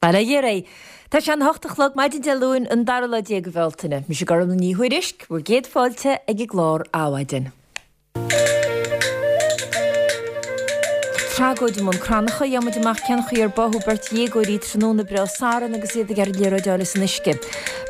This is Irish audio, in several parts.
Bail ó Dhia oraibh. Tá sé an 8 a chlog maidin Dé Luain an dara lá de Bhealtaine. Mise Gormlaith Ní Thuairisg, bhur gcéad fáilte ag an gclár Adhmhaidin. Tragóid i mBun Cranncha, gheobhaidh muid amach cén chaoi ar báthadh beirt dhéagóirí tráthnóna breá Sathairn agus iad ag iarraidh liathróid a fháil as an uisce.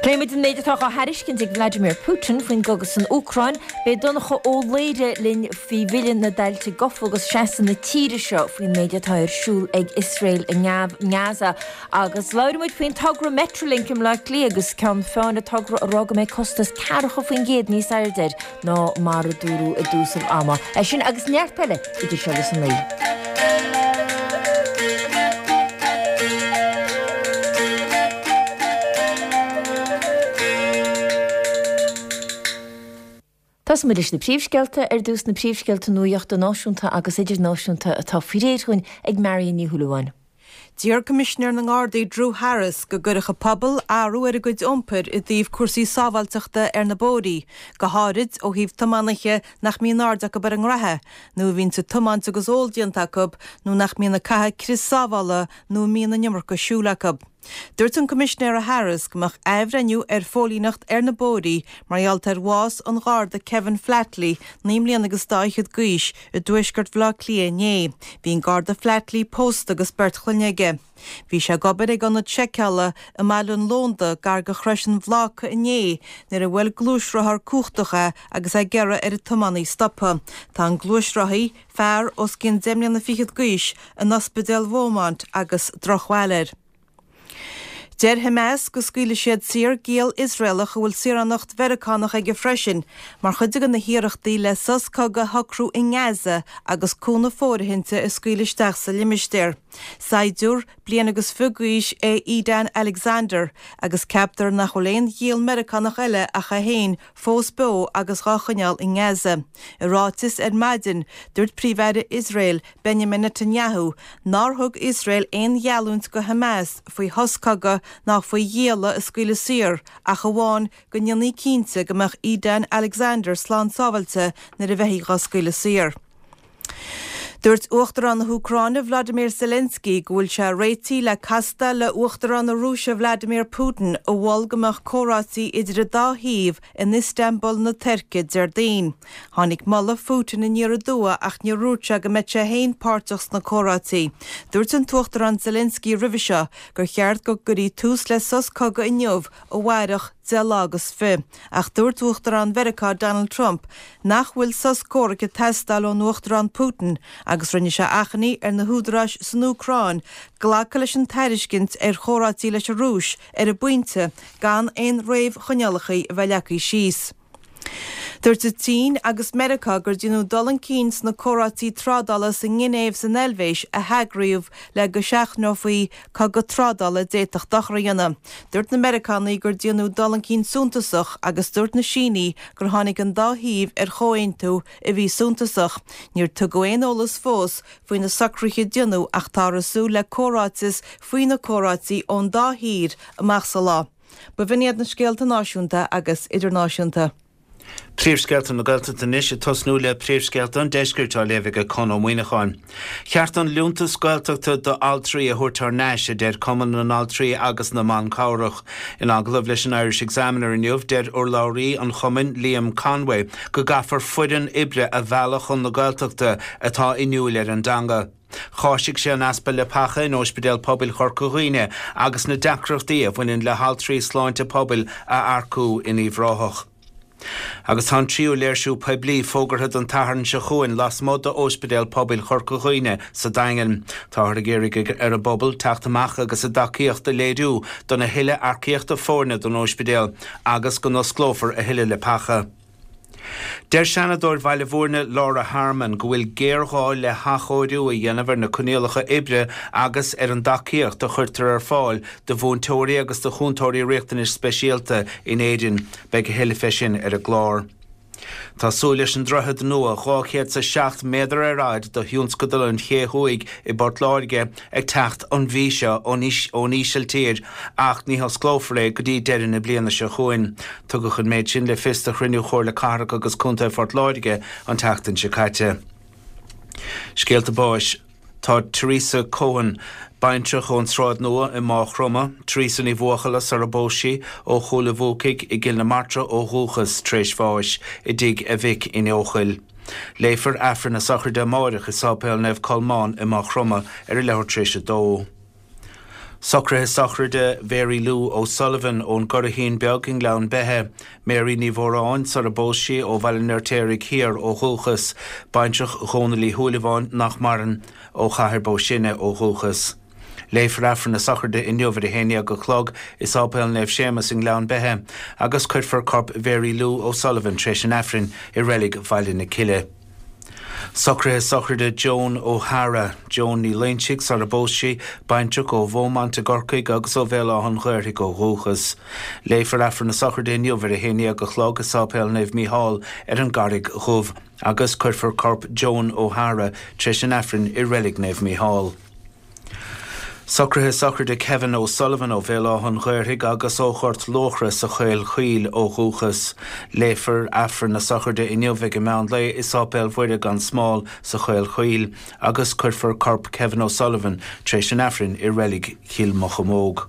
Pléifidh muid an méid atá dhá thairiscint ag Vladimir Putin faoin gcogadh san Úcráin. Beidh Donncha Ó Laoire linn faoi Bhille na dTailte Gofa agus seasamh na tíre seo faoin méid atá ar siúl ag Iosrael i nGaza. Agus labhróidh muid faoin togra Metrolink i mBleá Cliath agus ceann feadhain an togra ag rá go mbeidh costas 40% níos airde air ná mar a dúradh i dtús an ama. É sin agus neart eile idir seo agus a 9. Tosóidh muid leis na príomhscéalta, ar dtús na príomhscéalta nuachta náisiúnta agus idirnáisiúnta atá faoi réir dhúinn ag Marion Ní Shúilleabháin. D'iarr Coimisinéir na nGardaí Drew Harris go gcuirfeadh an pobal athrú ar a gcuid iompair i dtaobh cúrsaí sábháilteachta ar na bóithrí, go háirid ó thaobh tiománaithe nach mbíonn aird acu ar an ngraithe, nó a bhíonns ag tiomáint agus ól déanta acu, nó nach mbíonn ag caitheamh crios sábhála nó a mbíonn an iomarca siúil acu. Dúirt an Coimisinéara Harris go mbeadh athbhreithniú ar phóilíneacht ar na bóithrí mar gheall ar bhás an Gharda Kevin Flatley, 9 mbliana agus dá fhichead d'aois, i dtuaisceart Bhaile Átha Cliath inné. Bhí an Garda Flatley pósta agus beirt chlainne aige. Bhí sé ag obair ag ionad seiceála i mBaile an Lónda gar do Chrois an Bhláca inné nuair a bhuail gluaisrothar cumhachtach é agus é ag iarraidh ar an tiománaí stopadh. Tá an gluaisrothaí, fear os cionn deich mbliana fichead d'aois, in Ospidéal Beaumont agus drochbhail air. Deir Hamas go scaoilfidh siad saor giall Iosraelach a bhfuil saoránacht Mheiriceánach aige freisin, mar chuid de na hiarrachtaí le sos cogaidh a shocrú i nGaza agus cúnamh fóirithinte a scaoileadh isteach sa limistéar. Saighdiúir bliain agus fiche d'aois é Edan Alexander agus ceaptar nach bhfuil aon ghiall Meiriceánach eile ach é féin fós beo agus dhá choinneáil i nGaza. I ráiteas ar maidin, dúirt Príomh-Aire Iosrael, Benjamin Netanyahu, nár thug Iosrael aon gheallúint go Hamas faoi shos cogaidh ná faoi ghialla a scaoileadh saor ach amháin go ndéanfaí cinnte go mbeadh Edan Alexander slán sábháilte nuair a bheifí dhá scaoileadh saor. Dúirt Uachtarán na hÚcráine Vladimir Zelensky go bhfuil sé réitithe le castáil le Uachtarán na Rúise Vladimir Putin a mhol go mbeadh comhráití idir an dá thaobh in Istanbul na Tuirce Déardaoin. Tháinig moladh Phutin aniar aduaidh ach níor dhúirt sé go mbeadh sé féin páirteach sna comhráití. Dúirt an tUachtarán Zelensky roimhe seo gur cheart go gcuirí tús le sos cogaidh inniu, amháireach, 10 lá agus fi. Ach dúirt Uachtarán Mheiriceá Donald Trump nach bhfuil sos comhraic ag teastáil ón Uachtarán Putin agus rinne sé achainí ar na húdaráis san Úcráin glacadh leis an tairiscint ar chomhráití leis an Rúis ar an bpointe gan aon réamhchoinníollacha a bheith leagtha síos. Dúirt an tSín agus Meiriceá gur déanadh dul chun cinn sna comhráití trádála sa nGinéiv san Eilvéis a heagraíodh le go seachnófaí cogadh trádála a d'fhéadfadh dochar a dhéanamh. Dúirt na Meiriceánaigh gur déanadh dul chun cinn suntasach agus dúirt na Sínigh gur tháinig an dá thaobh ar chomhaontú a bhí suntasach. Níor tugadh aon eolas fós faoi na socruithe a déanadh ach táthar ag súil le comhráiteas faoi na comhráití ón dá thír amach sa lá. B'in iad na scéalta náisiúnta agus idirnáisiúnta. Príomhscéalta na Gaeltachta anois, ag tosnú le príomhscéalta an deiscirt á léamh ag Conn Ó Muíneacháin. Cheart an liúntas Gaeltachta d'altraí a thabhairt thar n-ais, a deir Cumann na nAltraí agus na mBan Cabhrach. In agallamh leis an Irish Examiner inniu, deir urlabhraí an chumainn, Liam Conway, go gcaithfear foireann oibre a mhealladh chun na Gaeltachta atá inniúil ar an dteanga. Cháisigh sé an easpa leapacha in Óispidéal Pobail Chorca Dhuibhne agus na deacrachtaí a bhaineann le haltraí sláinte pobail a earcú in Uíbh Ráthach. Agus tá an tríú léirsiú poiblí fógartha don tSatharn seo chugainn lasmuigh d'Óispidéal Pobail Chorca Dhuibhne sa Daingean. Táthar ag iarraidh ar an bpobal teacht amach agus a dtacaíocht a léiriú don a thuilleadh earcaíochta foirne don óispidéal agus go n-osclófar a thuilleadh leapacha. Deir Seanadóir Bhaile Bhúirne Laura Harmon go bhfuil géarghá le hathchóiriú a dhéanamh ar na coinníollacha oibre agus ar an dtacaíocht a chuirtear ar fáil do mhúinteoirí agus do chúntóirí riachtanais speisialta in Éirinn. Beidh a thuilleadh fé sin ar an gclár. Tá súil leis an droichead nua 207 méadar ar fhad do thionscadal an Ché Thuaidh i bPort Láirge ag teacht an mhí seo ón Ísiltír ach ní hosclófar é go dtí deireadh na bliana seo chugainn. Tugadh an méid sin le fios do chruinniú Chomhairle Cathrach agus Contae Phort Láirge an tseachtain seo caite. Scéalta báis. Tá Teresa Cohen, baintreach ón tSráid Nua i Máigh Chromtha, Teresa Ní Bhuachalla sara bpós sí, ó Chúil a' Bhuacaigh i gCill na Martra ó dhúchas, tar éis bháis i dtigh a mhic in Eochaill. Léifear Aifreann a sochraide amáireach i Sáipéal Naomh Colmán i Máigh Chromtha ar a leathuair tar éis a dó. Socruithe sochraide Mhary Lou O'Sullivan ón gCurraichín Beag i nGleann Beithe, Mary Ní Mhóráin, sara bpós sí, ó Bhaile an Fheirtéaraigh Thiar ó dhúchas, baintreach Dhónaill Uí Shúilleabháin, nach maireann, ó Chathair Bó Sine ó dhúchas. Léifear Aifreann a sochraide inniu ar a haon dhéag a chlog i Sáipéal Naomh Séamus i nGleann Beithe agus cuirfear corp Mhary Lou O'Sullivan tar éis an Aifrinn i Reilig Bhaile na Cille. Socruithe sochraide Joan O'Hara, Joan Ní Loinsigh, sara bpós sí, baintreach ó Bheaumont i gCorcaigh agus ó Bhéal Átha an Ghaorthaidh ó dhúchas. Léifear Aifreann a sochraide inniu ar a haon dhéag a chlog i Sáipéal Naomh Mícheál ar an gCarraig Dhubh agus cuirfear corp Joan O'Hara tar éis an Aifrinn i Reilig Naomh Mícheál. Socruithe sochraide Kevin O'Sullivan ó Bhéal Átha an Ghaorthaidh agus ó Ghort Luachra sa Chaol Chaoil ó dhúchas. Léifear Aifreann na sochraide inniu ag an meán lae i Sáipéal Mhuire gan Smál sa Chaol Chaoil agus cuirfear corp Kevin O'Sullivan tar éis an Aifrinn i Reilig Chill Mocheallóg.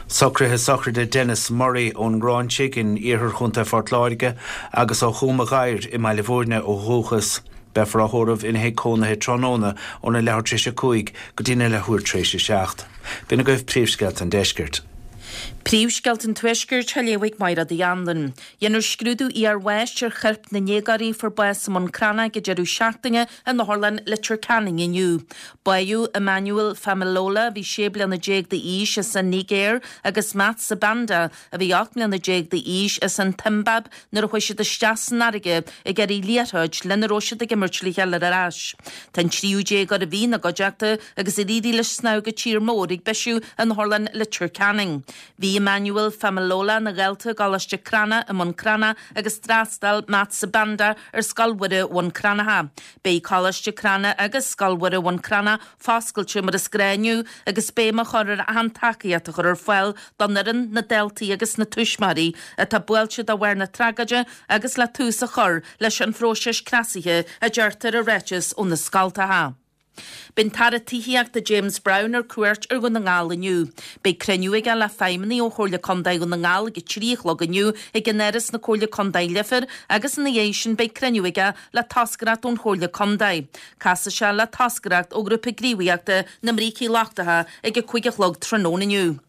Socruithe sochraide Denis Murray ón nGráinsigh in iarthar Chontae Phort Láirge agus ó Chúm a' Ghadhair i mBaile Bhúirne ó dhúchas. Beifear á thórramh ina thigh cónaithe tráthnóna óna leathuair tar éis a 5 go dtína leathuair tar éis a 7. B'in agaibh príomhscéalta an deiscirt. Príomhscéalta an Tuaiscirt á léamh ag Mairéad Uí Anluain. Dhéanfar scrúdú iarbháis ar choirp na ndéagóirí a fuair bás i mBun Cranncha ag an deireadh seachtaine in Otharlann Leitir Ceanainn inniu. Báitheadh Emmanuel Femilola, a bhí 16 bliana d'aois, as an Nigéir agus Matt Sibanda, a bhí 18 mbliana d'aois, as an tSiombáib nuair a chuaigh siad isteach san fharraige ag iarraidh liathróid lena raibh siad ag imirt le chéile a fháil ar ais. Tá an tríú déagóir a bhí ina gcuideachta agus ar éirigh leis snámh go tír mór ag bisiú in Otharlann Leitir Ceanainn. Bhí Emmanuel Femilola ina dhalta i gColáiste Crana i mBun Cranncha agus d'fhreastail Matt Sibanda ar Scoil Mhuire Bhun Cranncha. Beidh Coláiste Crana agus Scoil Mhuire Bhun Cranncha foscailte mar is gnáth inniu agus béim á chur ar achan tacaíocht a chur ar fáil don fhoireann, na daltaí agus na tuismitheoirí atá buailte de bharr na tragóide agus le tús a chur leis an phróiseas cneasaithe, a deirtear i ráiteas ó na scoltacha. Beidh an tAire Tithíochta James Browne ar cuairt ar Dhún na nGall inniu. Beidh cruinniú aige le feidhmeannaigh ó Chomhairle Contae Dhún na nGall ag a 3 a chlog inniu ag in Áras na Comhairle Contae Leifear agus ina dhiaidh sin beidh cruinniú aige le toscaireacht ón Chomhairle Contae. Casfaidh sé le toscaireacht ó Ghrúpa Gníomhaíochta na mBrící Lochtacha ag a 5 a chlog tráthnóna inniu.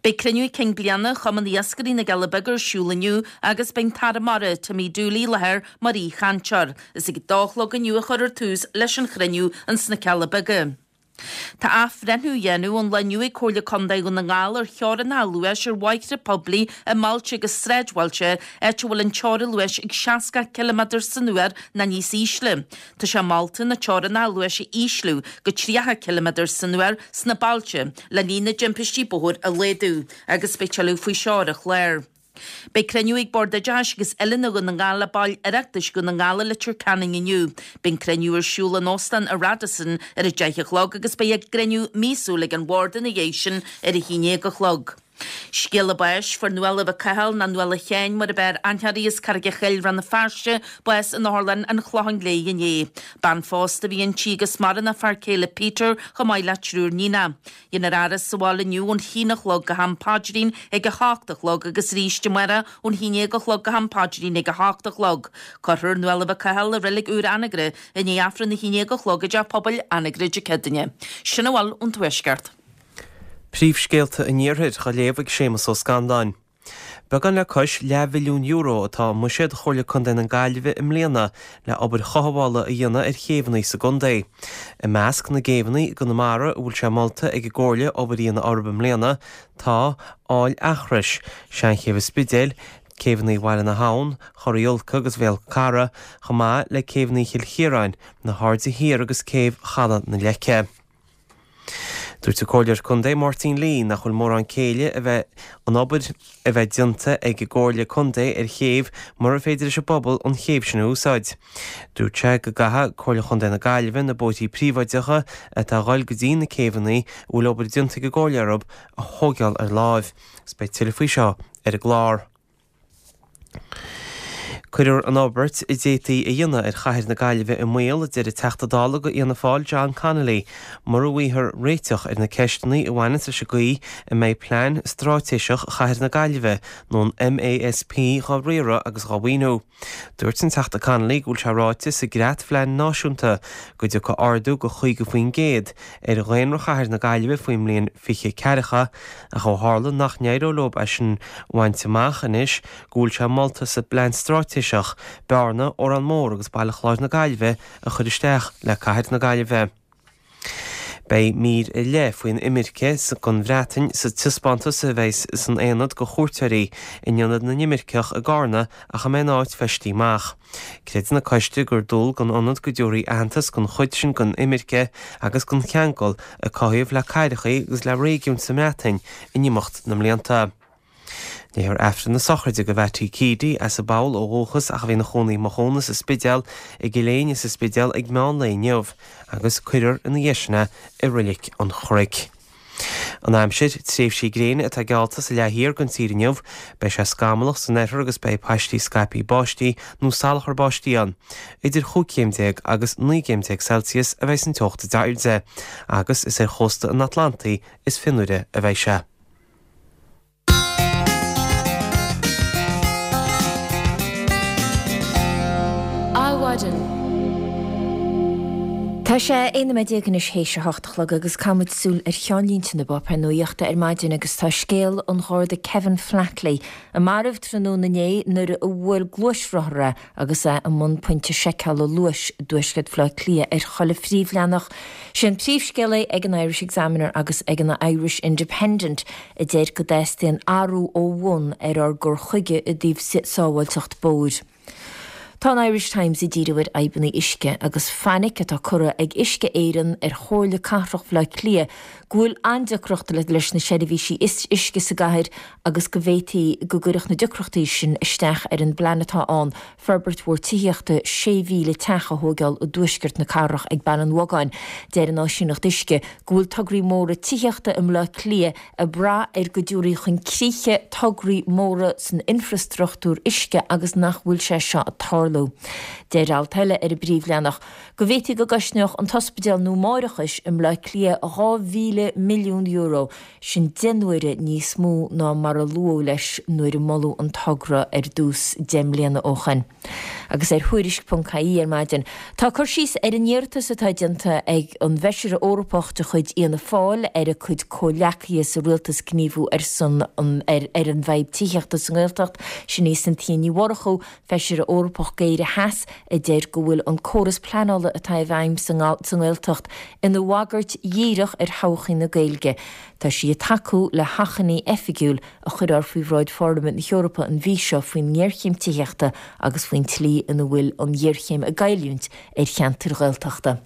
Beidh cruinniú cinn bliana Chumann Iascairí na gCealla Beaga ar siúl inniu agus beidh an tAire Mara, Timmy Dooley i láthair mar aoichainteoir. Is ag a dó a chlog inniu a chuirfear tús leis an chruinniú ins na Cealla Beaga. Tá athbhreithniú á dhéanamh ón lá inniu ag Comhairle Contae Dhún na nGall ar theorainneacha luais ar bhóithre poiblí i mbailte agus sráidbhailte, áit a bhfuil an teorainn luais ag 60 ciliméadar san uair nó níos ísle. Tá sé molta na teorainneacha luais a ísliú go 30 ciliméadar san uair sna bailte le líon na dtimpistí bóthair a laghdú agus beidh tuilleadh faoi seo ar an chlár. Beidh cruinniú ag Bord Oideachais agus Oiliúna Dhún na nGall le baill Oireachtais Dhún na nGall i Leitir Ceanainn inniu. Beidh an cruinniú ar siúl in Óstán an Radisson ar a 10 a chlog agus beidh a gcruinniú míosúil ag an Bhord ina dhiaidh sin ar a 11 a chlog. Scéala báis, Fuair Nuala Mhic Cumhaill, nó Nuala Sheáin mar ab fhearr aithne uirthi as Carraig a' Chill, Rann na Feirste, bás in Otharlann an Chlocháin Léith inné. Bean phósta a bhí inti agus maireann a fear céile Peter chomh maith le triúr níonach. Déanfar a faire sa bhaile inniu ón haon a chlog go ham paidrín ag a hocht a chlog agus arís amárach ón haon dhéag a chlog go ham paidrín ag a hocht a chlog. Cuirfear Nuala Mhic Cumhaill i reilig úr Anagaire i ndiaidh Aifreann a haon dhéag a chlog i dTeach Pobail Anagaire Dé Céadaoine. Sin a bhfuil ón Tuaisceart. Príomhscéalta an Iarthair á léamh ag Séamus Ó Scanláin. Beagán le cois leathmhilliún euro atá i mbuiséad Chomhairle Contae na Gaillimhe i mbliana le obair chothabhála a dhéanamh ar chéibheanna sa gcontae. I measc na gcéibheanna i gConamara a bhfuil sé molta ag an gComhairle obair a dhéanamh orthu i mbliana tá Aill Eachrois, Seanchéibh an Spidéil, Céibheanna Bhaile na hAbhann, Chorr Uí Ulca agus Bhéal Cara, chomh maith le céibheanna Chill Chiaráin, na hAirde Thiar agus Céibh Chaladh na Leice. Dúirt an Comhairleoir Contae Máirtín Lee nach bhfuil mórán céille a bheith an obair a bheith déanta ag an gComhairle Contae ar chéibh mura féidir leis an bpobal an chéibh sin a úsáid. Dúirt sé go gcaithfidh Comhairle Chontae na Gaillimhe na bóithrí príobháideacha atá a dhul go dtí na céibheanna a bhfuil obair déanta ag an gComhairle orthu a thóigeáil ar láimh. Agus beidh tuilleadh faoi seo ar an gclár. Cuirfear an fhorbairt a d'fhéadfaí a dhéanamh ar chathair na Gaillimhe i mbaol, a deir an Teachta Dála do Fhianna Fáil John Connolly, mura bhfaighfear réiteach ar na ceisteanna a bhaineanns leis an gcaoi a mbeidh Plean Straitéiseach Chathair na Gaillimhe, nó an MASP, dhá riaradh agus dhá mhaoiniú. Dúirt an Teachta Connolly go bhfuil sé ráite sa gCreat-Phlean Náisiúnta go dtiocfaidh ardú de 50% ar dhaonra chathair na Gaillimhe faoin mbliain 2040 ach ó tharla nach n-éireoidh leo é sin a bhaint amach anois go bhfuil sé molta sa bPlean Straitéiseach Bearna, Órán Mór agus Baile Chláir na Gaillimhe a chur isteach le Cathair na Gaillimhe. Beidh mír ar leith faoin imirce gon Bhreatain sa taispeántas a bheidh san aonad go chuairteoirí in Ionad na nImirceach i gCarna ach a mbeidh an áit feistithe amach. Creideann an coiste gur dual gon ionad go dtabharfaí aitheantas gon chuid sin gon imirce agus gon cheangal a cothaíodh le cathrachaí agus le réigiúin sa mBreatain in imeacht na mblianta. Léifear Aifreann na sochraide do Mhattie Keady, as an bPoll ó dhúchas ach a bhí ina chónaí i Maigh Cuanna sa Spidéal, i gCill Éinne sa Spidéal ag meán lae inniu agus cuirfear ina dhiaidh sin é i Roilic an Chnoic. An aimsir, Tréimhsí gréine atá geallta sa leath thiar den tír inniu. Beidh sé scamallach san oirthear agus beidh paistí scaipthe báistí nó salachar báistí ann. Idir chúig chéim déag agus 19 gcéim Celsius a bheidh an teocht is airde agus is ar chósta an Atlantaigh is fionnuaire a bheidh sé. Adhmhaidin. Tá sé 11 nóiméad anois théis a hocht a chlog agus caithfidh muid súil ar cheannlínte na bpáipéar nuachta ar maidin agus tá scéal an Gharda Kevin Flatley a maraíodh tráthnóna inné nuair a bhuail gluaisrothar é agus é i mbun pointe seiceála luais i dtuaisceart Bhaile Átha Cliath ar chuile phríomhleathanach. Sé an príomhscéal é ag an Irish Examiner agus ag an Irish Independent a deir go dteastaíonn athrú ó bhun ar ár gcur chuige i dtaobh sábháilteacht bóthair. Tá an Irish Times ag díriú ar fhadhbanna uisce agus fainic atá curtha ag Uisce Éireann ar Chomhairle Cathrach Bhaile Átha Cliath go bhfuil an-deacracht leis na seirbhísí uisce sa gcathair agus go bhféadfaí go gcuirfeadh na deacrachtaí sin isteach ar an bplean atá ann forbairt mhór tithíochta 6,000 teach a thóigeáil i dtuaisceart na cathrach ag Baile an Bhogáin. Deir an Áisíneacht Uisce go bhfuil tograí móra tithíochta i mBleá Cliath ag brath ar go dtabharfaí chun críche tograí móra san infreastruchtúr uisce agus nach bhfuil sé seo ag tarlú. Deir alt eile ar an bpríomhleathanach go bhféadfaí go gcosnódh an t-ospidéal nua máithreachais i mBleá Cliath €2,000 milliún. Sin deich n-uaire níos mó ná mar a luadh leis nuair a moladh an togra ar dtús 10 mbliana ó shoin. Agus ar Thuairisc.ie ar maidin, tá cur síos ar an iarratas atá déanta ag an bhFeisire Eorpach de chuid Fhianna Fáil ar a cuid comhleacaithe sa rialtas gníomhú ar son an ar an bhfadhb tithíochta sa nGaeltacht. Sin í Cynthia Ní Mhurchú, Feisire Eorpach d'Éire Theas, a deir go bhfuil an córas pleanála atá i bhfeidhm sa nGaeltacht ina bhagairt dhíreach ar thodhchaí na Gaeilge. Tá sí ag tacú le hachainí oifigiúil a chuirfear faoi bhráid Pharlaimint na hEorpa an mhí seo faoin ngéarchéim tithíochta agus faoin tslí ina bhfuil an ghéarchéim ag goilliúint ar cheantair Ghaeltachta.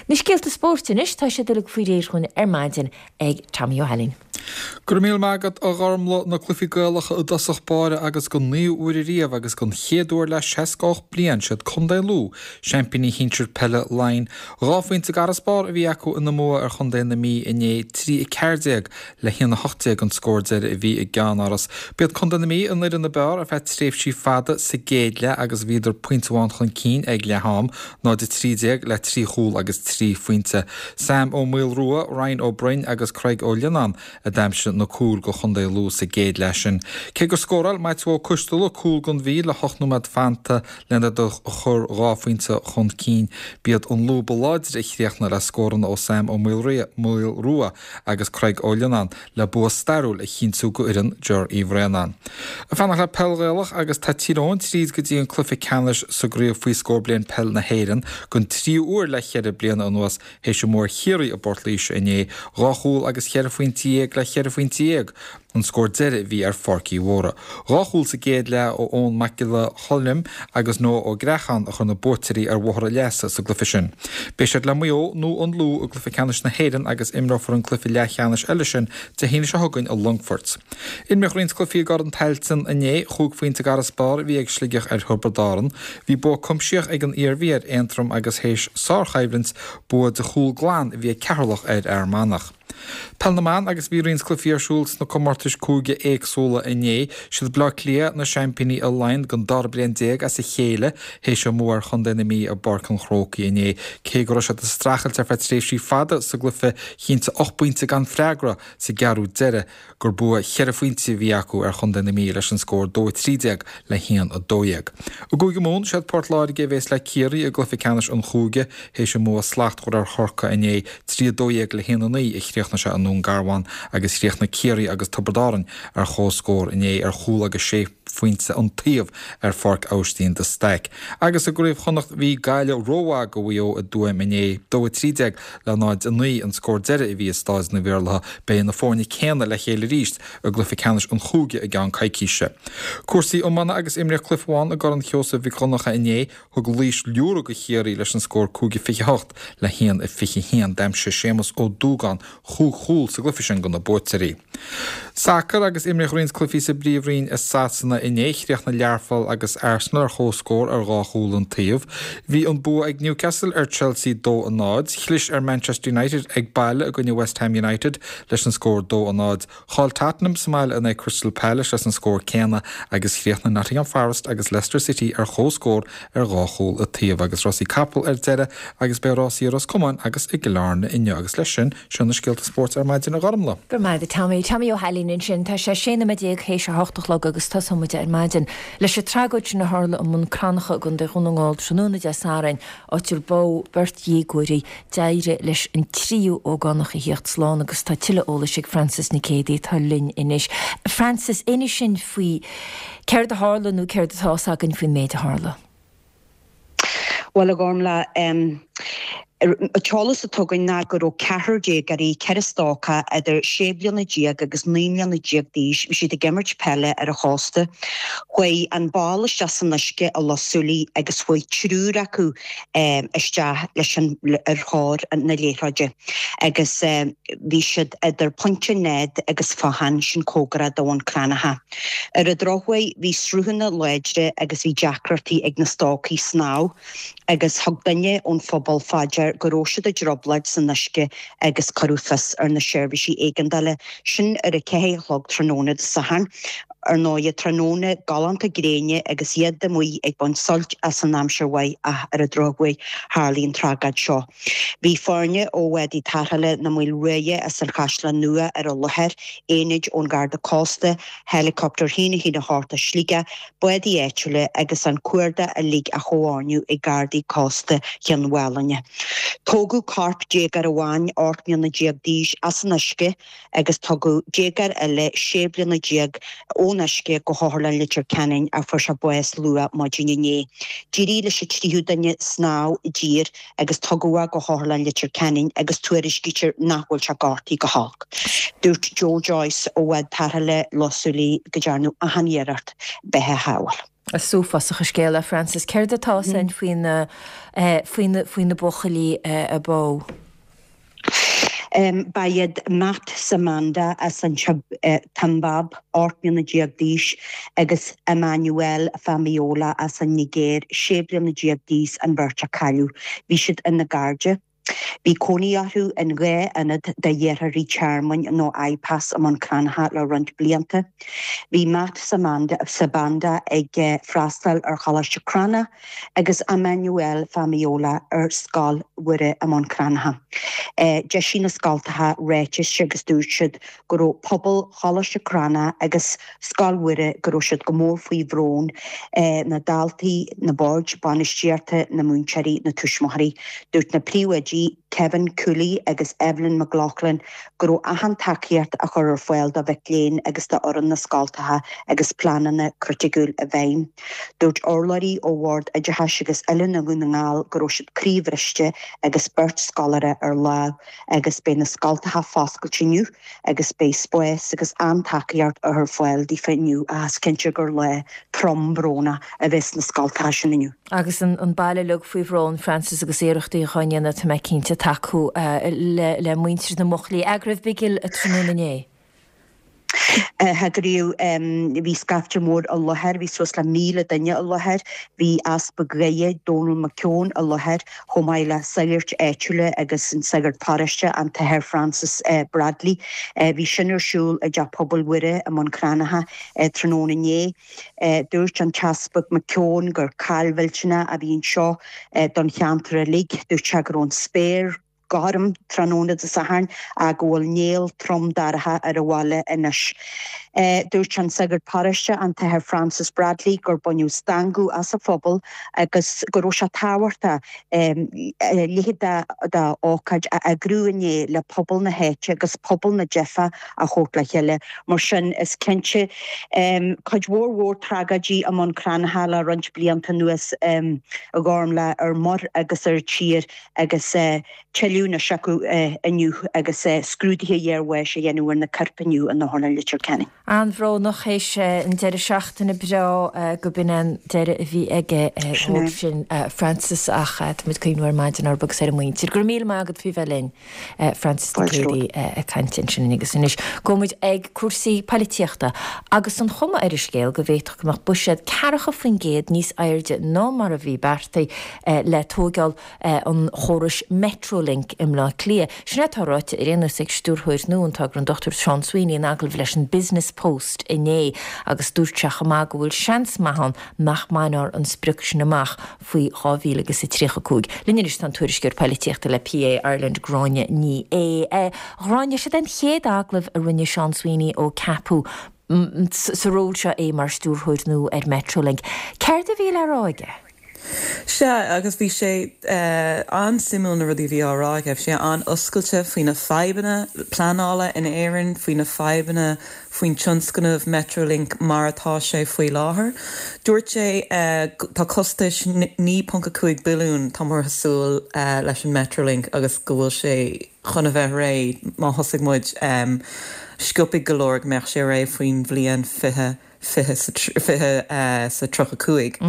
Na scéalta spóirt anois, tá siad uilig faoi réir dhúinn ar maidin ag Tommy Ó hAilín. Go raibh míle maith agat, a Ghormlaith, na cluichí Gaelacha i dtosach báire agus don naoú huair ariamh agus don chéad uair le 68 bliain, siad Contae Lú seaimpíní shinsir peile Laighean. Dhá phointe d'fharasbarr a bhí acu ina mbua ar chontae na Mí inné, 3 14 le 1 18 an scór deiridh a bhí i gceannáras. B'iad Contae na Mí an fhoireann ab fhearr ar feadh tréimhsí fada sa gcéad leath agus bhíodar pointe amháin chun cinn ag leath am, 0 13 le trí chúl agus trí phointe. Sam Ó Maolrua, Ryan Ó Broin agus Craig Ó Lionnáin a d'aimsigh na cúil go Chontae Lú sa gcéad leath sin. Cé gur scóráil Maitiú Ó Coisteala cúl don Mhí le hocht nóiméad fanta lena iad a chur dhá phointe chun cinn, b'iad an Lú ba láidre a chríochnaigh le scóranna ó Sam Ó Maolrua agus Craig Ó Lionnáin le bua stairiúil a chinntiú go fhoireann Ger Uí Bhraonáin. Ag fanacht le peil Ghaelach agus tá Tír Eoghain tríd go dtí an cluiche ceannais sa gcraobh faoi scór bliain peil na hÉireann don tríú huair le cheithre bliana anuas théis a mbua ar Chiarraí i bPort Laoise inné, dhá chúl agus cheithre phointe dhéag le cheithre phointe dhéag an scór deiridh a bhí ar Pháirc Uí Mhórdha. Dhá chúl sa gcéad leath ó Eoin Mac Giolla Choilm agus Noah Ó Greacháin a chuir na buaiteoirí ar bhóthar a leasa sa gcluiche sin. Beidh siad le Maigh Eo nó an Lú i gcluiche ceannais na hÉireann agus imreofar an cluiche leathcheannais eile sin Dé hAoine seo chugainn i Longfort. Imríodh roinnt cluichí i gCorn Tailteann inné. Chúig phointe d'fharasbarr a bhí ag Sligeach ar Thiobraid Árann. Bhí bua cuimsitheach ag an Iarmhí ar Aontroim agus théis sárchoimhlint, bua de chúl glan a bhí ag Ceatharlach ar Fhear Manach. Peil na mBan agus bhí roinnt cluichí ar siúl sna comórtais cúige éagsúla inné. Siad Bleá Cliath na seaimpíní i Laighean don dara bliain déag as a chéile théis a mbua ar Chontae na Mí i bPáirc an Chrócaigh inné. Cé go raibh siad ag streachailt ar feadh tréimhsí fada sa gcluiche chinntigh 8 bpointe gan freagra sa gceathrú deiridh gur bua cheithre phointe a bhí acu ar chontae na Mí leis an scór 2-13 le 1-12. I gCúige Mumhan, siad Port Láirge a bhéas le Ciarraí i gcluiche ceannais an chúige théis a mbua slachtmhar ar Chorcaigh inné, 3-12 le 1-9 a chríochnaigh sé i nDún Garbhán agus chríochnaigh Ciarraí agus Tiobraid Árann ar chomhscór inné ar chúl agus sé phointe an taobh ar Pháirc Aibhistín de Staic. Agus i gCraobh Chonnacht bhí Gaillimh rómhaith do Mhaigh Eo i dTuaim inné, 2-13 le 0-9 an scór deiridh a bhí i Stáid Naomh Iarlaithe. Beidh na foirne céanna le chéile arís i gcluiche ceannais an chúige i gceann coicíse. Cúrsaí iomána agus imríodh cluiche amháin i gCorn Sheosaimh Mhic Dhonncha inné. Thug Laois liúradh do Chiarraí leis an scór 5-28 le 1-21. D'aimsigh Séamus Ó Dúgáin chúig chúl sa gcluiche sin do na buaiteoirí. Sacar agus imríodh roinnt cluichí sa bPríomhroinn i Sasana inné. Chríochnaigh Learpholl agus Arsenal ar chomhscór ar dhá chúl an taobh. Bhí an bua ag Newcastle ar Chelsea 2-0. Chlis ar Manchester United ag baile i gcoinne West Ham United leis an scór 2-0. Chaill Tottenham sa mbaile in aghaidh Crystal Palace leis an scór céanna agus chríochnaigh Nottingham Forest agus Leicester City ar chomhscór ar dhá chúl an taobh. Agus rásaí capall ar deireadh agus beidh rásaí i Ros Comáin agus i gCill Airne inniu agus leis sin, seo na scéalta spóirt ar maidin a Ghormlaith. Go raibh maith agat Tommy. Tommy Ó hAilín ansin. Tá sé 16 nóiméad théis a hocht a chlog agus tosóidh muid ar maidin leis an tragóid sin a tharla i mBun Cranncha i gContae Dhún na nGall tráthnóna Dé Sathairn, áit ar bádh beirt dhéagóirí. D'éirigh leis an tríú ógánach a thíocht slán agus tá tuilleadh eolais ag Frances Nic Géadaigh atá linn anois. Frances, inis dúinn faoi céard a tharla nó céard atá fhios againn faoin méid a tharla. Bhuel, a Ghormlaith, an t-eolas atá againn ná go raibh ceathrar déagóirí, ceithre stócach idir sé bliana déag agus 19 mbliana d'aois, bhí siad ag imirt peile ar an chósta. Chuaigh an ball isteach san uisce i Loch Súilí agus chuaigh triúr acu isteach leis an ar thóir na liathróide agus bhí siad idir Pointe Ned agus Fothán, sin cóngarach do Bhun Cranncha. Ar an drochuair bhí sruthanna láidre agus bhí deacrachtaí ag na stócaigh snámh agus thug duine ón phobal fá dear go raibh siad i dtrioblóid san uisce agus cuireadh fios ar na seirbhísí éigeandála, sin ar a ceathair a chlog tráthnóna Dé Sathairn. Ar ndóighe, tráthnóna galánta gréine agus iad amuigh ag baint suilt as an aimsir mhaith ach ar an drochuair tharlaigh an tragóid seo. Bhí foirne ó bhádaí tarrthála na Maoilruaidhe as an Chaisleán Nua ar an láthair, aonaid ón Gharda Cósta, Helicopter 1 1 8 as Sligeach, bádaí áitiúla agus an cuardach uilig á chomhordú ag Gardaí Cósta Chionn Mhálanna. Tógadh corp déagóir amháin, 18 mbliana d'aois, as an uisce agus tugadh déagóir eile, 16 bliana, ón uisce go hOtharlann Leitir Ceanainn ach fuair sé bás luath maidin inné. D'éirigh leis an tríú duine snámh i dtír agus tugadh é go hOtharlann Leitir Ceanainn agus tuairiscítear nach bhfuil sé gortaithe go holc. Dúirt Joe Joyce ó bhád tarrthála Loch Súilí go ndearnadh achan iarracht beatha a shábháil. Is uafásach an scéal é, Frances. Céard atá fhios againn faoi na, faoi na, faoi na buachaillí a bádh? Ba iad Matt Sibanda as an tSiombáib, 18 mbliana d'aois, agus Emmanuel Famayola as an Nigéir, 16 bliana d'aois, an bheirt a cailleadh. Bhí siad ina gcairde. Bhí cónaí orthu in dhá ionad do iarrthóirí tearmainn nó IPAS i mBun Cranncha le roinnt blianta. Bhí Matt Sibanda ag freastal ar Choláiste Cranncha agus Emmanuel Famayola ar Scoil Mhuire i mBun Cranncha. D'eisigh na scoltacha ráitis agus dúirt siad go raibh pobal Choláiste Cranncha agus Scoil Mhuire go raibh siad go mór faoi bhrón, na daltaí, na boird bainistíochta, na múinteoirí, na tuismitheoirí. Dúirt na príomhoidí, Kevin Cooley agus Evelyn McLaughlin, go raibh achan tacaíocht á chur ar fáil do mhic léinn agus d'fhoireann na scoltacha agus pleananna criticiúil i bhfeidhm. Dúirt urlabhraí ó Bhord Oideachais agus Oiliúna Dhún na nGall go raibh siad croíbhriste agus beirt scoláire ar láimh agus beidh na scoltacha foscailte inniu agus beidh spás agus an-tacaíocht á chur ar fáil daofa inniu ach is cinnte gur lá trom brónach a bheidh sna scoltacha sin inniu. Agus an baile uilig faoi bhrón, Frances, agus iarrachtaí dhá ndéanamh, tá mé cinnte, tacú le muintir na mbuachaillí. An raibh bigil tráthnóna inné. Heagraíodh, bhí scaifte mór i láthair, bhí suas le 1,000 duine i láthair, bhí Easpag Dhoire, Dónal McKeown i láthair, chomh maith le sagairt áitiúla agus an sagart paróiste, an tAthair Francis Bradley. Bhí sin ar siúl i dTeach Pobail Mhuire i mBun Cranncha tráthnóna inné. Dúirt an tEaspag McKeown gur caill mhillteanach a bhí anseo don cheantar uilig. Dúirt sé go raibh an spéir gorm tráthnóna Dé Sathairn ach go bhfuil néal trom dorcha ar an bhaile anois. Dúirt an sagart paróiste, an tAthair Francis Bradley, gur baineadh stangadh as an phobal agus go raibh sé tábhachtach a leithéid d'ócáid a eagrú inné le pobal na háite agus pobal na Teife a thabhairt le chéile. Mar sin, is cinnte, cuid mhór mhór tragóidí i mBun Cranncha le roinnt blianta anuas, a Ghormlaith, ar muir agus ar tír agus tuilleadh anois acu inniu agus scrúduithe iarbháis a dhéanamh ar na coirp inniu in Otharlann Leitir Ceanainn. An-bhrónach théis an deireadh seachtaine breá go b'in an deireadh a bhí aige dhóibh sin Frances ach táimid ag cuimhniú ar maidin orthu agus ar a muintir. Go raibh míle maith agat faoi bheith linn Frances Nic Géadaigh ag caint ansin agus anois gabhfaidh muid ag cúrsaí poilitíochta agus an chuma ar an scéal go bhféadfadh go mbeadh buiséad 40% níos airde ná mar a bhí beartaithe le tóigeáil an chórais Metrolink i mBleá Cliath. Sin é atá ráite ar aon nós ag stiúrthóir nua an togra, an Dr Seán Sweeney, in agallamh leis an Business Post inné agus dúirt sé chomh maith go bhfuil seans maith ann nach mbainfear an sprioc sin amach faoi 2035. Linn anois tá an tuairisceoir poilitíochta le PA Ireland, Gráinne Ní Aodha. A Ghráinne, siod é an chéad agallamh a rinne Seán Sweeney ó ceapadh sa ról seo é mar stiúrthóir nua ar Metrolink. Céard a bhí le rá aige? Sea, agus bhí sé an-suimiúil na rudaí a bhí á rá aige. Bhí sé an-oscailte faoi na fadhbanna pleanála in Éirinn, faoi na fadhbanna faoin tionscnamh Metrolink mar atá sé faoi láthair. Dúirt sé tá costais 9.5 billiún, tá muid ag súil leis an Metrolink agus go bhfuil sé chun a bheith réidh má thosaigh muid sciobtha go leor go mbeadh sé réidh faoin bhliain 20 20 sa 35.